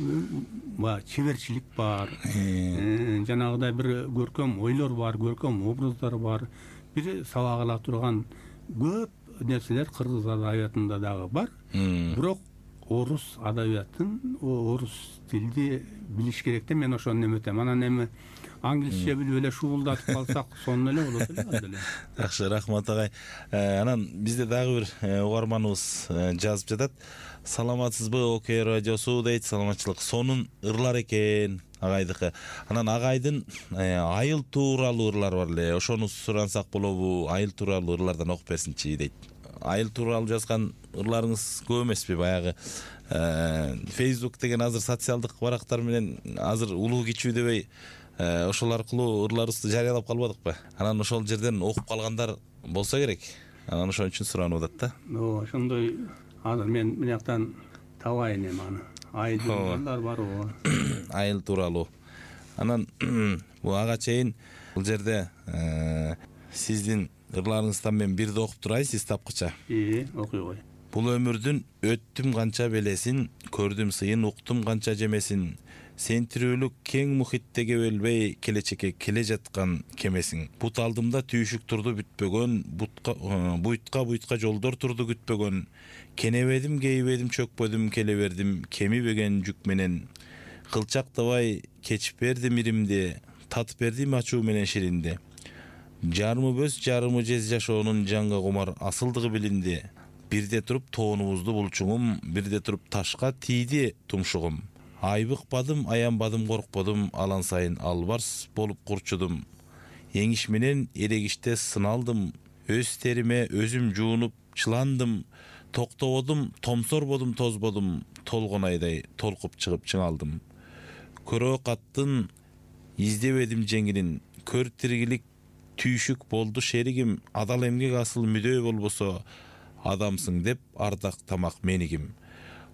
Speaker 3: баягы чеберчилик бар. Жанагыдай бир көркөм ойлор бар, көркөм образдар бар. Бир сабак ала турган көп нерселер кыргыз адабиятында дагы бар. Бирок орус адабиятын, орус тилди билиш керек да, мен ошону неметем. Анан эми англисче билип эле шуулдатып калсак, сонун эле болот эле деле.
Speaker 2: Жакшы, рахмат агай. Анан бизде дагы бир угарманыбыз жазып жатат. Саламатсызбы, Окей радиосу дейт, саламатчылык. Сонун ырлар экен агайдыкы. Анан агайдын айыл тууралуу ырлар бар эле. Ошону сурансак болобу? Айыл тууралуу ырлардан окуп берсинчи дейт. Айыл тууралуу жазган ырларыңыз көп эмеспи? Баягы Facebook деген азыр социалдык барактар менен азыр улуу кичүү дебей ошол аркылуу ырларыбызды жарыялап калбадыкпы? Анан ошол жерден окуп калгандар болсо керек. Анан ошон үчүн суранып атат да.
Speaker 3: Ооба, ошондой азыр мен мынаяктан табайын эми аны. Айыл ырлар барбы?
Speaker 2: Айыл тууралуу. Анан бул ага чейин бул жерде сиздин ырларыңыздан мен бирди окуп турайын, сиз тапкыча.
Speaker 3: Ии, окуй кой.
Speaker 2: Бул өмүрдүн өттүм канча белесин, көрдүм сыйын, уктум канча жемесин. Сен тирүүлүк кең мухитте кебелбей, келечекке келе жаткан кемесиң. Бут алдымда түйшүк турду бүтпөгөн, бутка буйтка буйтка жолдор турду күтпөгөн. Кенебедим, кейбедим, чөкпөдүм, келе бердим, кемибеген жүк менен. Кылчактабай кечип бердим иримди, татып бердим ачуу менен ширинди. Жарымы бөз, жарымы жез жашоонун жанга кумар асылдыгы билинди. Бирде туруп тоонубузду булчуңум, бирде туруп ташка тийди тумшугум. Айбыкпадым, аянбадым, коркподум, алан сайын албарс болуп курчудум. Эңиш менен эрегиште сыналдым, өз териме өзүм жуунуп чыландым. Токтободум, томсорбодум, тозбодум, толгонайдай толкуп чыгып чыңалдым. Көрөө каттын издебедим жеңилин, көр тиргилик түйшүк болду шеригим, адал эмгек асыл мүдөө болбосо адамсың деп ардак тамак менигим.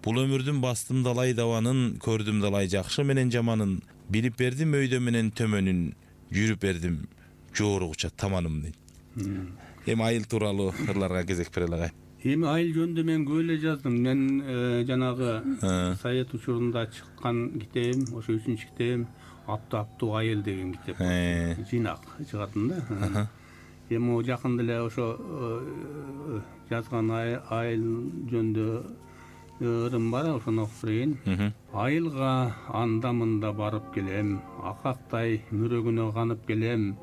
Speaker 2: Бул өмүрдүн бастым далай дабанын, көрдүм далай жакшы менен жаманын, билип бердим өйдө менен төмөнүн, жүрүп бердим жооругуча таманым дейт. Эми айыл тууралуу ырларга кезек берели агай.
Speaker 3: Эми айыл жөнүндө мен көп эле жаздым. Мен жанагы совет учурунда чыккан китебим, ошо үчүнчү китебим Апту-апту айыл деген китеп. Жыйнак чыгатын да. Эми о жакында эле ошо жазган айыл жөнүндө ырым бар, ошону окуп берейин. Айылга анда-мында барып келем, акактай мүрөгүнө канып келем.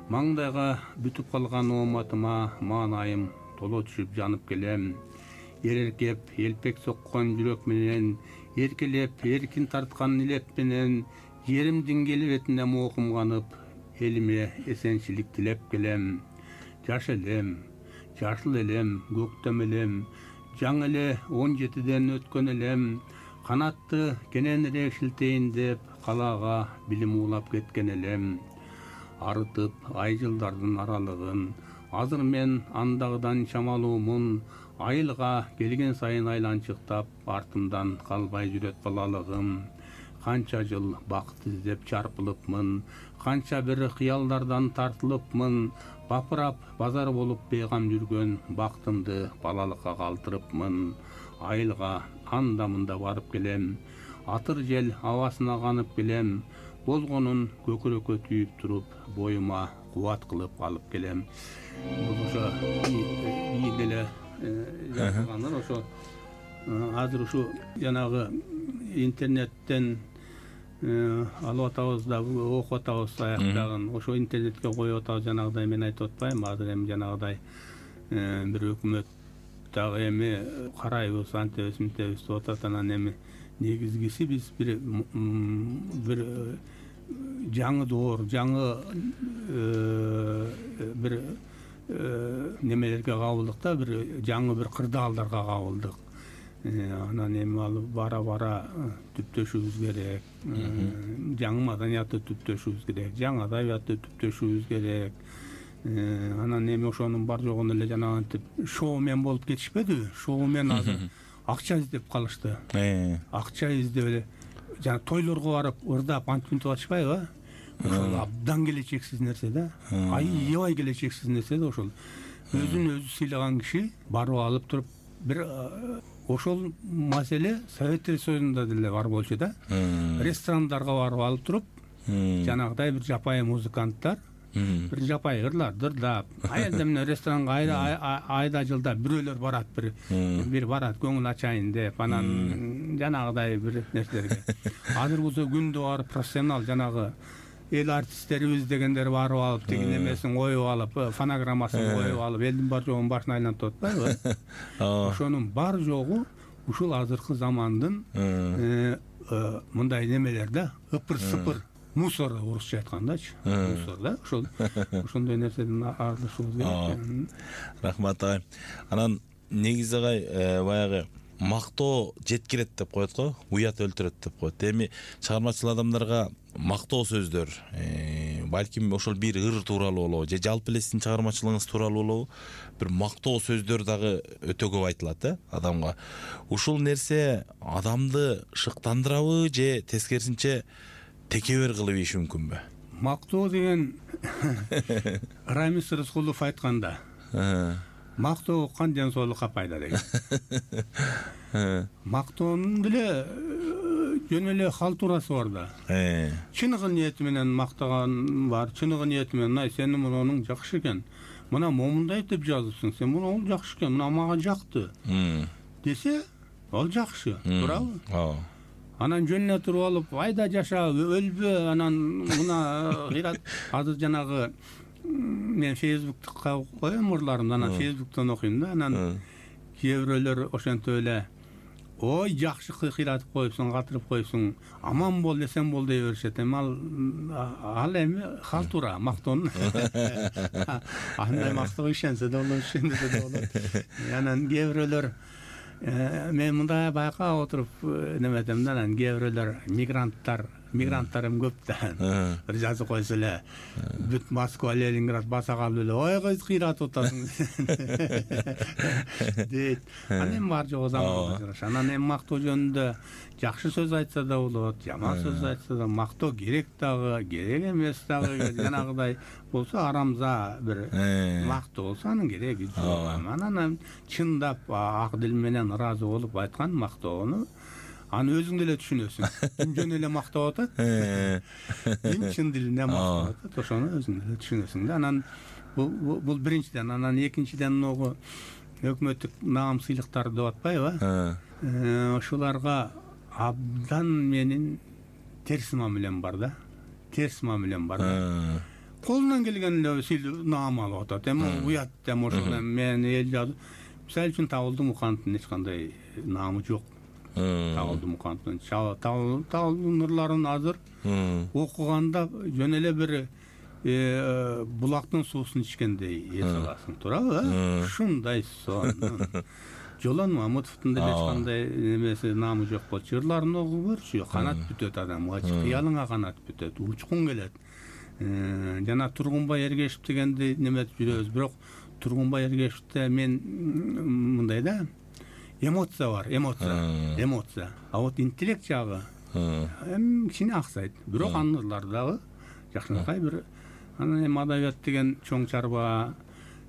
Speaker 3: Маңдайга бүтүп калган ооматыма маанайым толо түшүп жанып келем. Эреркеп, элпек соккон жүрөк менен, эркелеп, эркин тарткан илеп менен, жеримдин келбетине моокумганып, элиме эсенчилик тилеп келем. Жаш элем, жашыл элем, көктөм элем, жаңы эле он жетиден өткөн элем. Канатты кененирээк шилтейин деп, калаага билим улап кеткен элем. Арытып ай жылдардын аралыгын, азыр мен андагыдан чамалуумун. Айылга келген сайын айланчыктап, артымдан калбай жүрөт балалыгым. Канча жыл бакыт издеп чарпылыпмын, канча бир кыялдардан тартылыпмын. Бапырап базар болуп бейгам жүргөн бактымды балалыкка калтырыпмын. Айылга анда-мында барып келем, атыр жел абасына канып келем. Болгонун көкүрөккө түйүп туруп, боюма кубат кылып алып келем. Ошо бийик эле жазылгандар. Ошо азыр ушу жанагы интернеттен алып атабыз да окуп атабыз аяктагын. Ошо интернетке коюп атабыз. Жанагыдай мен айтып атпайм, азыр эми жанагыдай бир өкмөт дагы эми карайбыз, антебиз, мынтебиз деп атат. Анан эми негизгиси биз бир бир жаңы доор, жаңы бир немелерге кабылдык да, бир жаңы бир кырдаалдарга кабылдык. Анан эми ал бара-бара түптөшүбүз керек. Жаңы маданиятты түптөшүбүз керек, жаңы адабиятты түптөшүбүз керек. Анан эми ошонун бар жогун эле жанагынтип шоумен болуп кетишпедиби? Шоумен азыр акча издеп калышты. Акча издеп эле жана тойлорго барып ырдап антип мынтип атышпайбы? Ошол абдан келечексиз нерсе да. Аябай келечексиз нерсе да ошол. Өзүн өзү сыйлаган киши барып алып туруп бир ошол маселе Совет Союзунда деле бар болчу да. Ресторандарга барып алып туруп, жанагыдай бир жапайы музыканттар бир жапайы ырлар дырдап, аялда менен ресторанга айда айда жылда бирөөлөр барат, бир бир барат көңүл ачайын деп, анан жанагыдай бир нерселерге. Азыр болсо күндө барып профессионал жанагы эл артисттерибиз дегендер барып алып, тиги немесин коюп алып, фонограммасын коюп алып, элдин бар жогун башына айлантып атпайбы? Ошонун бар жогу ушул азыркы замандын мындай немелер да, ыпыр-сыпыр мусор, орусча айткандачы, мусор да. Ошол ошондой нерседен арылышыбыз керек.
Speaker 2: Рахмат агай. Анан негизи агай баягы мактоо жеткирет деп коет го, уят өлтүрөт деп коет. Эми чыгармачыл адамдарга мактоо сөздөр, балким ошол бир ыр тууралуу болобу, же жалпы эле сиздин чыгармачылыгыңыз тууралуу болобу, бир мактоо сөздөр дагы өтө көп айтылат да адамга. Ушул нерсе адамды шыктандырабы же тескерисинче текебер кылып ийиши мүмкүнбү?
Speaker 3: Мактоо деген Рамис Рыскулов айтканда, мактоо кан соолукка пайда деген. Мактоонун деле жөн эле халтурасы бар да. Чыныгы ниети менен мактаган бар, чыныгы ниети менен, ай сенин мунуң жакшы экен, мына момундай деп жазыпсың, сен муну ол жакшы экен, мына мага жакты десе, ал жакшы, туурабы? Анан жөнүнө туруп алып, айда жаша, өлбө, анан мына кыйрат. Азыр жанагы мен Фейсбукка коем ырларымды, анан Фейсбуктан окуйм да, анан кээ бирөөлөр ошентип эле, ой жакшы кыйратып коюпсуң, катырып коюпсуң, аман бол десем бол дей беришет. Эми ал ал эми халтура, мактоонун. Андай мактоого ишенсе да болот, ишенбесе да болот. Анан кээ бирөөлөр мен мындай байкап отуруп неметем да, анан кээ бирөөлөр мигранттар мигранттарым көп да. Бир жазып койсо эле бүт Москва, Ленинград баса калып эле ой кыз кыйратып атасың дейт. Анан эми бар жогу заманга жараша. Анан эми мактоо жөнүндө жакшы сөз айтса да болот, жаман сөз айтса да, мактоо керек дагы, керек эмес дагы, жанагыдай болсо арамза бир мактоо болсо анын кереги жок. Анан чындап ак дил менен ыраазы болуп айткан мактоону аны өзүң деле түшүнөсүң. Ким жөн эле мактап атат, ким чын дилинде мактап атат, ошону өзүң деле түшүнөсүң да. Анан бул бул биринчиден, анан экинчиден могу өкмөттүк наам сыйлыктар деп атпайбы? Ошоларга абдан менин терс мамилем бар да. Терс мамилем бар да. Колунан келген эле сыйлык наам алып атат. Эми уят эми ошол мен эл жазып, мисалы үчүн Табылды Мукановдун эч кандай наамы жок. Табылды Мукановдун Табылды нурларын азыр окуганда жөн эле бир булактын суусун ичкендей эс аласың, туурабы? Ушундай сон. Жолон Мамытовдун деле эч кандай эмеси наамы жок болчу. Жырларын окуп көрчү, канат бүтөт адамга, кыялыңа канат бүтөт, учкун келет. Жана Тургунбай Эргешев дегенди неметип жүрөбүз, бирок Тургунбай Эргешевде мен мындай да, эмоция бар, эмоция, эмоция. А вот интеллект жагы эми кичине аксайт. Бирок анын ырлары дагы жакшынакай бир. Анан эми адабият деген чоң чарба.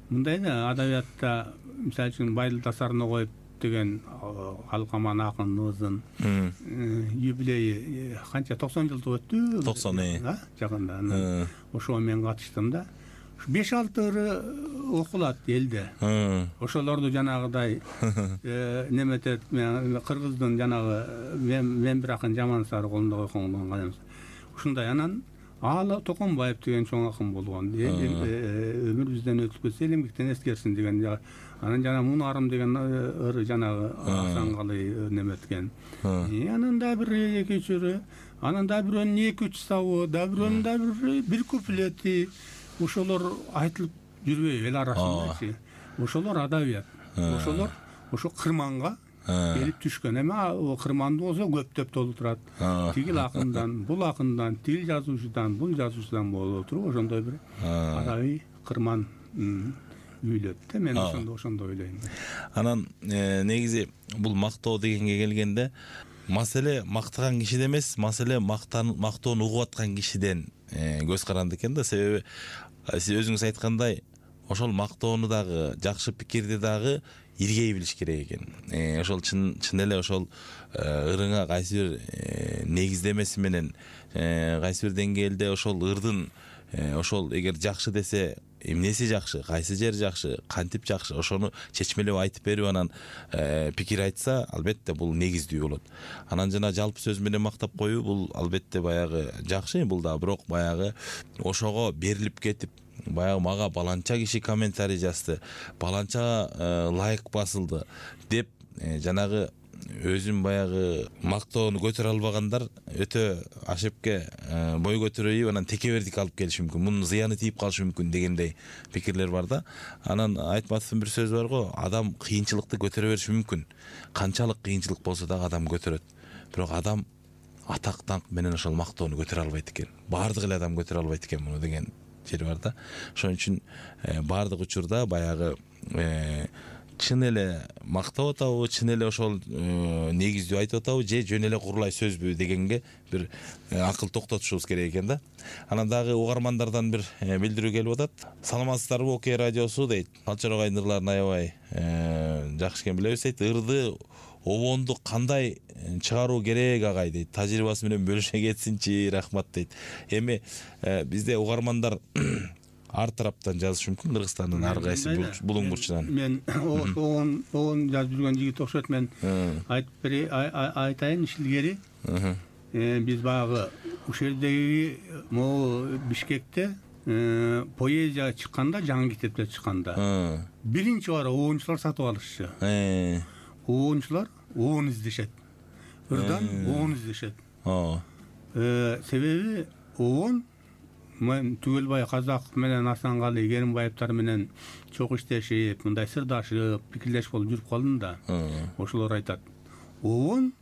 Speaker 3: Мындай да, адабиятта мисалы үчүн Байдыл Тасарына коюп деген Алкаман акыныбыздын юбилейи канча токсон жылдык өттү.
Speaker 2: токсон
Speaker 3: жакында. Ошого мен катыштым да. беш алты ыры окулат элде. Ошолорду жанагыдай неметет, кыргыздын жанагы мен бир акын Жаман Сары колунда койгонгон эмес. Ушундай анан Аала Токонбаев деген чоң акын болгон. Өмүр бизден өтүп кетсе элемгиктен эскерсин деген. Анан жана Мунарым деген ыры жанагы Асанкалы неметкен. Анан да бир эки үч ыры, анан да бирөөнүн эки үч сабы, да бирөөнүн да бир куплети. Ошолор айтылып жүрбөйбү эл арасындачы. Ошолор адабият. Ошолор ошо кырманга келип түшкөн. Эми кырманды болсо көптөп толуп турат. Тигил акындан, бул акындан, тил жазуучудан, бул жазуучудан болуп туруп, ошондой бир адабий кырман үйлөт да. Мен ошондо ошондой ойлойм.
Speaker 2: Анан негизи бул мактоо дегенге келгенде маселе мактаган кишиде эмес, маселе мактоону угуп аткан кишиден көз каранды экен да. Себеби сиз өзүңүз айткандай, ошол мактоону дагы, жакшы пикирди дагы иргей билиш керек экен. Ошол чын чын эле ошол ырыңа кайсы бир негиздемеси менен, кайсы бир деңгээлде ошол ырдын ошол эгер жакшы десе, эмнеси жакшы, кайсы жери жакшы, кантип жакшы, ошону чечмелеп айтып берип анан пикир айтса, албетте бул негиздүү болот. Анан жана жалпы сөз менен мактап коюу бул албетте баягы жакшы, бул да бирок баягы ошого берилип кетип, баягы мага баланча киши комментарий жазды, баланча лайк басылды деп жанагы өзүм баягы мактоону көтөрө албагандар өтө ашепке бой көтөрөйүп анан текебердик алып келиши мүмкүн, мунун зыяны тийип калышы мүмкүн дегендей пикирлер бар да. Анан Айтматовдун бир сөзү бар го, адам кыйынчылыкты көтөрө бериши мүмкүн. Канчалык кыйынчылык болсо дагы адам көтөрөт. Бирок адам атак даңк менен ошол мактоону көтөрө албайт экен. Баардык эле адам көтөрө албайт экен муну деген жери бар да. Ошон үчүн баардык учурда баягы чын эле мактап атабы, чын эле ошол негиздүү айтып атабы, же жөн эле курулай сөзбү дегенге бир акыл токтотушубуз керек экен да. Анан дагы угармандардан бир билдирүү келип атат. Саламатсыздарбы, Окей радиосу дейт. Алчар агайдын ырларын аябай жакшы экен билебиз дейт. Ырды обонду кандай чыгаруу керек агай дейт. Тажрыйбасы менен бөлүшө кетсинчи, рахмат дейт. Эми бизде угармандар ар тараптан жазыш мүмкүн, Кыргызстандын ар кайсы булуң бурчунан.
Speaker 3: Мен оон оон жазып жүргөн жигит окшойт. Мен айтып бери айтайын илгери. Биз баягы ушул жердеги могу Бишкекте поэзия чыкканда, жаңы китептер чыкканда биринчи бара оончулар сатып алышчу. Оончулар оон издешет. Ырдан оон издешет. Себеби оон мен Түгөлбай Казак менен Асанкалы Керимбаевтар менен чок иштешип, мындай сырдашып, пикирлешип болуп жүрүп калдым да. Ошолор айтат: "Оон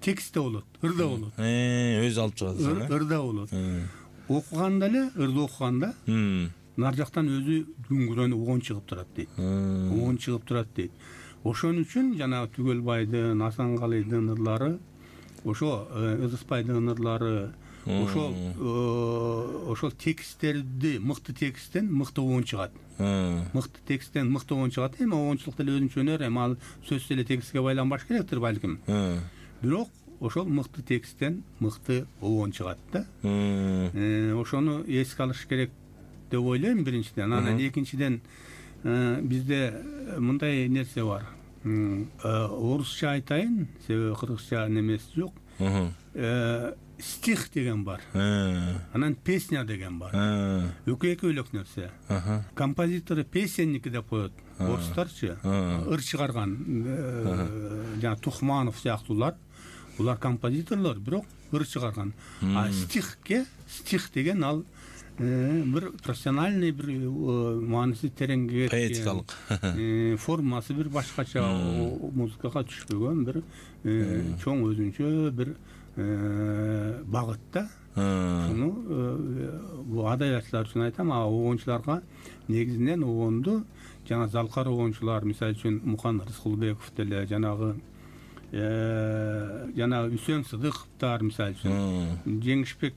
Speaker 3: текстте болот, ырда болот.
Speaker 2: Өзү алып чыгат.
Speaker 3: Ырда болот. Окуганда эле, ырды окуганда нар жактан өзү дүңгүрөнү угун чыгып турат дейт. Угун чыгып турат дейт. Ошон үчүн жанагы Түгөлбайдын, Асангалыйдын ырлары, ошо Ыдыспайдын ырлары, ошол ошол тексттерди, мыкты тексттен мыкты угун чыгат. Мыкты тексттен мыкты угун чыгат. Эми угунчулук деле өзүнчө өнөр, эми ал сөз деле текстке байланбаш керектир балким. Бирок ошол мыкты тексттен мыкты угун чыгат да. Ошону эске алыш керек деп ойлойм биринчиден. Анан экинчиден бизде мындай нерсе бар. Орусча айтайын, себеби кыргызча немеси жок. Стих деген бар. Анан песня деген бар. Экөө экөөлөк нерсе. Композитору песенники деп коет. Орустарчы ыр чыгарган жана Тухманов сыяктуулар, булар композиторлор, бирок ыр чыгарган. А стихке, стих деген ал бир профессиональный, бир мааниси тереңге кеткен, поэтикалык формасы бир башкача, музыкага түшпөгөн бир чоң өзүнчө бир багыт да. Шуну бул адабиятчылар үчүн айтам, а угунчуларга негизинен угунду жана залкар угунчулар, мисалы үчүн Мукан Рыскулбеков деле, жанагы жана Үсөн Сыдыковтар, мисалы үчүн Жеңишбек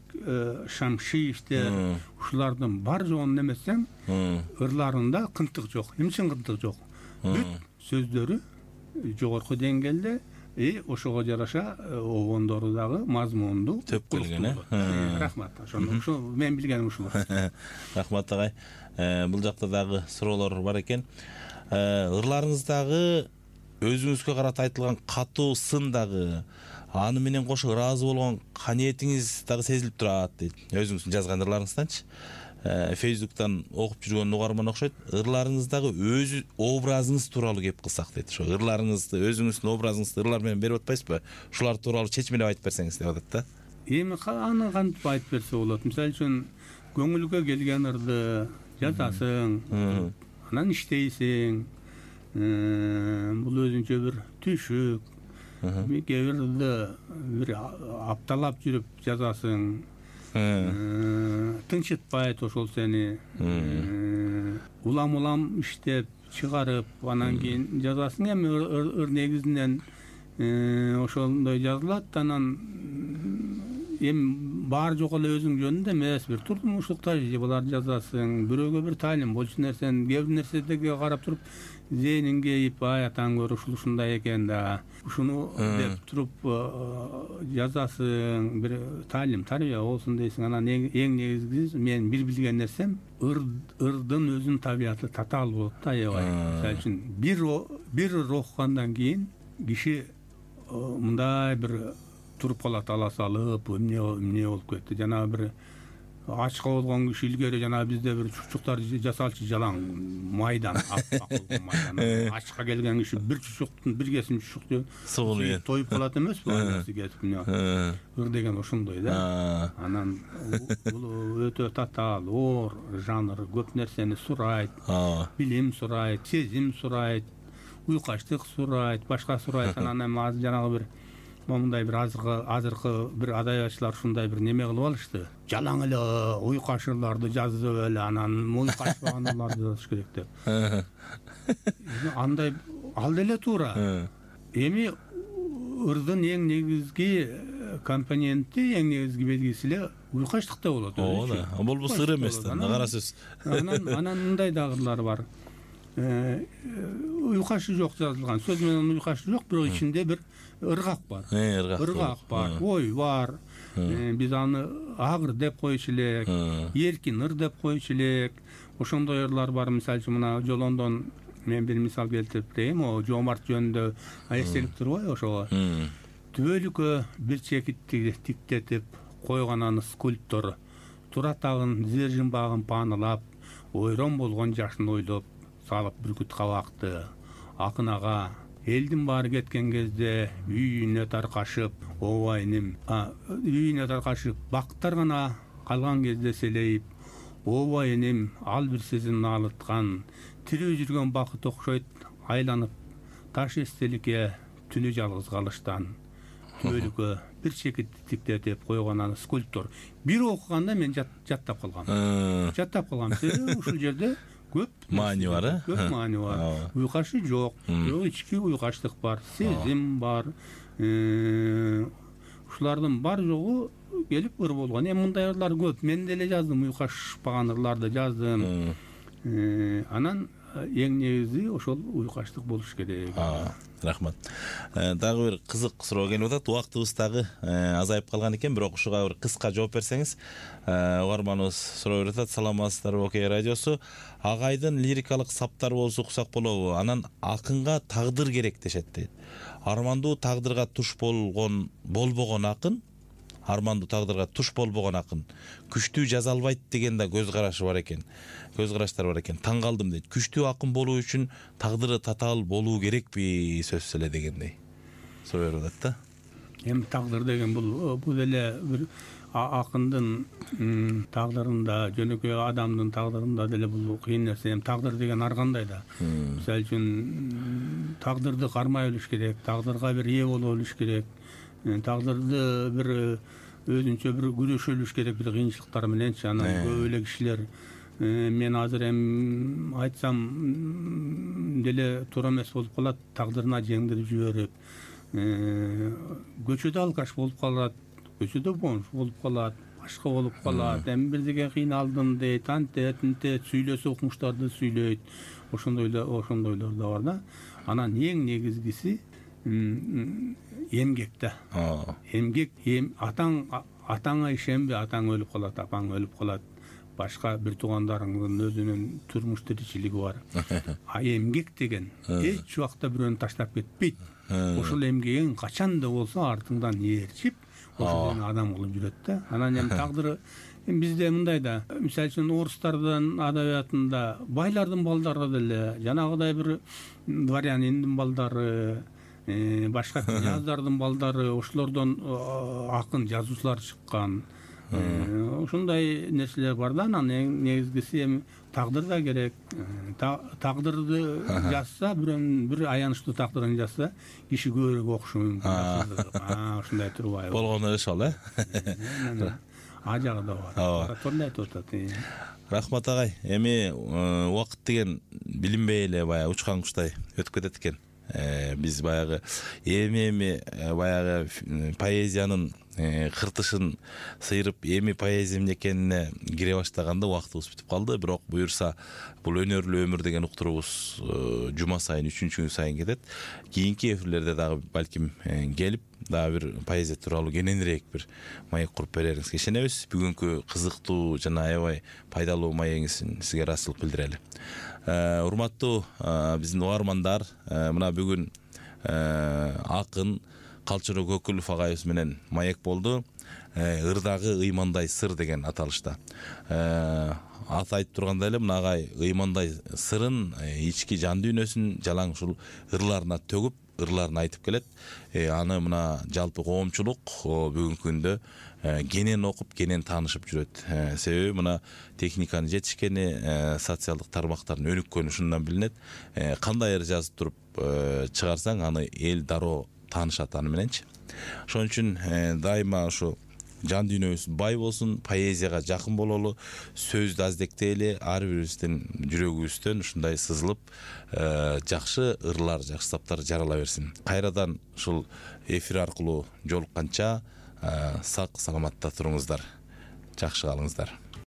Speaker 3: Шамшиевтер, ушулардын бар жоон немесең, ырларында кынтык жок. Эмне үчүн кынтык жок? Бүт сөздөрү жогорку деңгээлде, и ошого жараша огондору дагы мазмунду
Speaker 2: төп келген.
Speaker 3: Рахмат. Ошо мен билгеним ушул.
Speaker 2: Рахмат агай. Бул жакта дагы суроолор бар экен. Ырларыңыздагы өзүңүзгө карата айтылган катуу сын дагы, аны менен кошо ыраазы болгон каниетиңиз дагы сезилип турат дейт. Өзүңүздүн жазган ырларыңызданчы. Фейсбуктан окуп жүргөн угарман окшойт. Ырларыңыздагы өз образыңыз тууралуу кеп кылсак дейт. Ошо ырларыңызды, өзүңүздүн образыңызды ырлар менен берип атпайсызбы? Ушулар тууралуу чечмелеп айтып берсеңиз деп атат да.
Speaker 3: Эми аны кантип айтып берсе болот? Мисалы үчүн көңүлгө келген ырды жазасың, анан иштейсиң. Бул өзүнчө бир түшүк. Кээ бирди бир апталап жүрүп жазасың. Тынчытпайт ошол сени. Улам-улам иштеп чыгарып, анан кийин жазасың. Эми ыр негизинен ошондой жазылат, анан эми баары жок эле өзүң жөнүндө эмес, бир турмуштук тажрыйбаларды жазасың, бирөөгө бир таалим болчу нерсени, кээ бир нерседеги карап туруп зээнин кейип, ай атаң көрө ушул ушундай экен да, ушуну деп туруп жазасың, бир таалим, тарбия болсун дейсиң. Анан эң негизгиси мен бир билген нерсем, ырдын өзүнүн табияты татаал болот да, аябай. Мисалы үчүн бир бир ыр окугандан кийин киши мындай бир туруп калат, ала салып, эмне эмне болуп кетти. Жана бир ачка болгон киши илгери жана бизде бир чучуктар жасалчу жалаң майдан, аппак болгон майдан. Ачка келген киши бир чучуктун бир кесим чучукту тоюп калат эмеспи? Анасы кетип эмне. Ыр деген ошондой да. Анан бул өтө татаал, оор жанр, көп нерсени сурайт, билим сурайт, сезим сурайт, уйкаштык сурайт, башка сурайт. Анан эми азыр жанагы бир мындай бир азыркы азыркы бир адабиятчылар ушундай бир неме кылып алышты. Жалаң эле уйкаш ырларды жазып эле, анан уйкашпаган ырларды жазыш керек деп. Андай ал деле туура. Эми ырдын эң негизги компоненти, эң негизги белгиси эле уйкаштыкта болот.
Speaker 2: Ооба, болбосо ыр эмес да, кара сөз.
Speaker 3: Анан анан мындай дагы ырлар бар. Уйкашы жок жазылган, сөз менен уйкашы жок, бирок ичинде бир ыргак бар. Ыргак бар, ой бар. Биз аны агыр деп койчу элек, эркин ыр деп койчу элек. Ошондой ырлар бар. Мисалы үчүн мына Жолондон мен бир мисал келтирип берейин. О Жоомарт жөнүндө эстелип турбайбы ошого? Түбөлүккө бир чекитти тиктетип койгон аны скульптор. Тура тагын зер жымбагын паанылап, ойрон болгон жашын ойлоп салып бүркүт кабакты. Акын ага элдин баары кеткен кезде үйүнө таркашып, ооба иним, үйүнө таркашып, бактар гана калган кезде селейип, ооба иним, ал бир сезим наалыткан, тирүү жүргөн бакыт окшойт айланып, таш эстеликке түнү жалгыз калыштан. өлүккө бир чекиттиктетип койгон аны скульптор. Бир окуганда мен жаттап калгам. Жаттап калгам. Себеби ушул жерде көп
Speaker 2: маани бар, э?
Speaker 3: Көп маани бар. Уйкашы жок, ички уйкаштык бар, сезим бар. Ушулардын бар жогу келип ыр болгон. Эми мындай ырлар көп. Мен деле жаздым, уйкашпаган ырларды жаздым. Анан эң негизи ошол уйкаштык болуш керек.
Speaker 2: Рахмат. Дагы бир кызык суроо келип атат. Убактыбыз дагы азайып калган экен, бирок ушуга бир кыска жооп берсеңиз. Угарманыбыз суроо берип атат. Саламатсыздарбы Окей радиосу? Агайдын лирикалык саптары болсо уксак болобу? Анан акынга тагдыр керек дешет дейт. Армандуу тагдырга туш болгон болбогон акын, армандуу тагдырга туш болбогон акын күчтүү жаза албайт деген да көз карашы бар экен. Көз караштар бар экен. Таң калдым дейт. Күчтүү акын болуу үчүн тагдыры татаал болуу керекпи сөзсүз эле дегендей. Суроо берип атат да.
Speaker 3: Эми тагдыр деген бул бул эле бир акындын тагдырында, жөнөкөй адамдын тагдырында деле бул кыйын нерсе. Эми тагдыр деген ар кандай да. Мисалы үчүн тагдырды кармай билиш керек, тагдырга бир ээ боло билиш керек. Тагдырды бир өзүнчө бир күрөшө билиш керек бир кыйынчылыктар мененчи. Анан көп эле кишилер мен азыр эми айтсам деле туура эмес болуп калат, тагдырына жеңдирип жиберип, көчөдө алкаш болуп калат, көчөдө бомж болуп калат, башка болуп калат, эми бирдеге кыйналдым дейт, антет, антет, сүйлөсө укмуштарды сүйлөйт. Ошондойлор, ошондойлор да бар да. Анан эң негизгиси эмгек да. Эмгек, атаң атаңа ишенбе, атаң өлүп калат, апаң өлүп калат. Башка бир туугандарыңдын өзүнүн турмуш тиричилиги бар. А эмгек деген эч убакта бирөөнү таштап кетпейт. Ошол эмгегиң качан да болсо артыңдан ээрчип, ошол адам кылып жүрөт да. Анан эми тагдыры бизде мындай да, мисалы үчүн орустардын адабиятында байлардын балдары деле, жанагыдай бир дворяниндин балдары, башка князьдардын балдары, ошолордон акын жазуучулар чыккан. Ушундай нерселер бар да. Анан эң негизгиси эми тагдыр да керек. Тагдырды жазса, бирөөнүн бир аянычтуу тагдырын жазса, киши көбүрөөк окушу мүмкүн. Ушундай турбайбы?
Speaker 2: Болгону ошол, э?
Speaker 3: А жагы да бар. Торлой айтып атат.
Speaker 2: Рахмат агай. Эми убакыт деген билинбей эле баягы учкан куштай өтүп кетет экен. Биз баягы эми-эми баягы поэзиянын кыртышын сыйрып, эми поэзия эмне экенине кире баштаганда убактыбыз бүтүп калды. Бирок буюрса бул өнөрлүү өмүр деген уктуруубуз жума сайын, үчүнчү күн сайын кетет. Кийинки эфирлерде дагы балким келип, дагы бир поэзия тууралуу кененирээк бир маек куруп берериңизге ишенебиз. Бүгүнкү кызыктуу жана аябай пайдалуу маегиңиз сизге ыраазычылык билдирели. Урматтуу биздин угармандар, мына бүгүн акын Калчыруу Көкүлов агайыбыз менен маек болду. Ырдагы ыймандай сыр деген аталышта. Ат айтып тургандай эле, мына агай ыймандай сырын, ички жан дүйнөсүн жалаң ушул ырларына төгүп, ырларын айтып келет. Аны мына жалпы коомчулук бүгүнкү күндө кенен окуп, кенен таанышып жүрөт. Себеби мына техниканын жетишкени, социалдык тармактардын өнүккөнү ушундан билинет. Кандай ыр жазып туруп чыгарсаң, аны эл дароо таанышат аны мененчи. Ошон үчүн дайыма ушу жан дүйнөбүз бай болсун, поэзияга жакын бололу, сөздү аздектейли, ар бирибиздин жүрөгүбүздөн ушундай сызылып, жакшы ырлар, жакшы саптар жарала берсин. Кайрадан ушул эфир аркылуу жолукканча сак саламатта туруңуздар. Жакшы калыңыздар.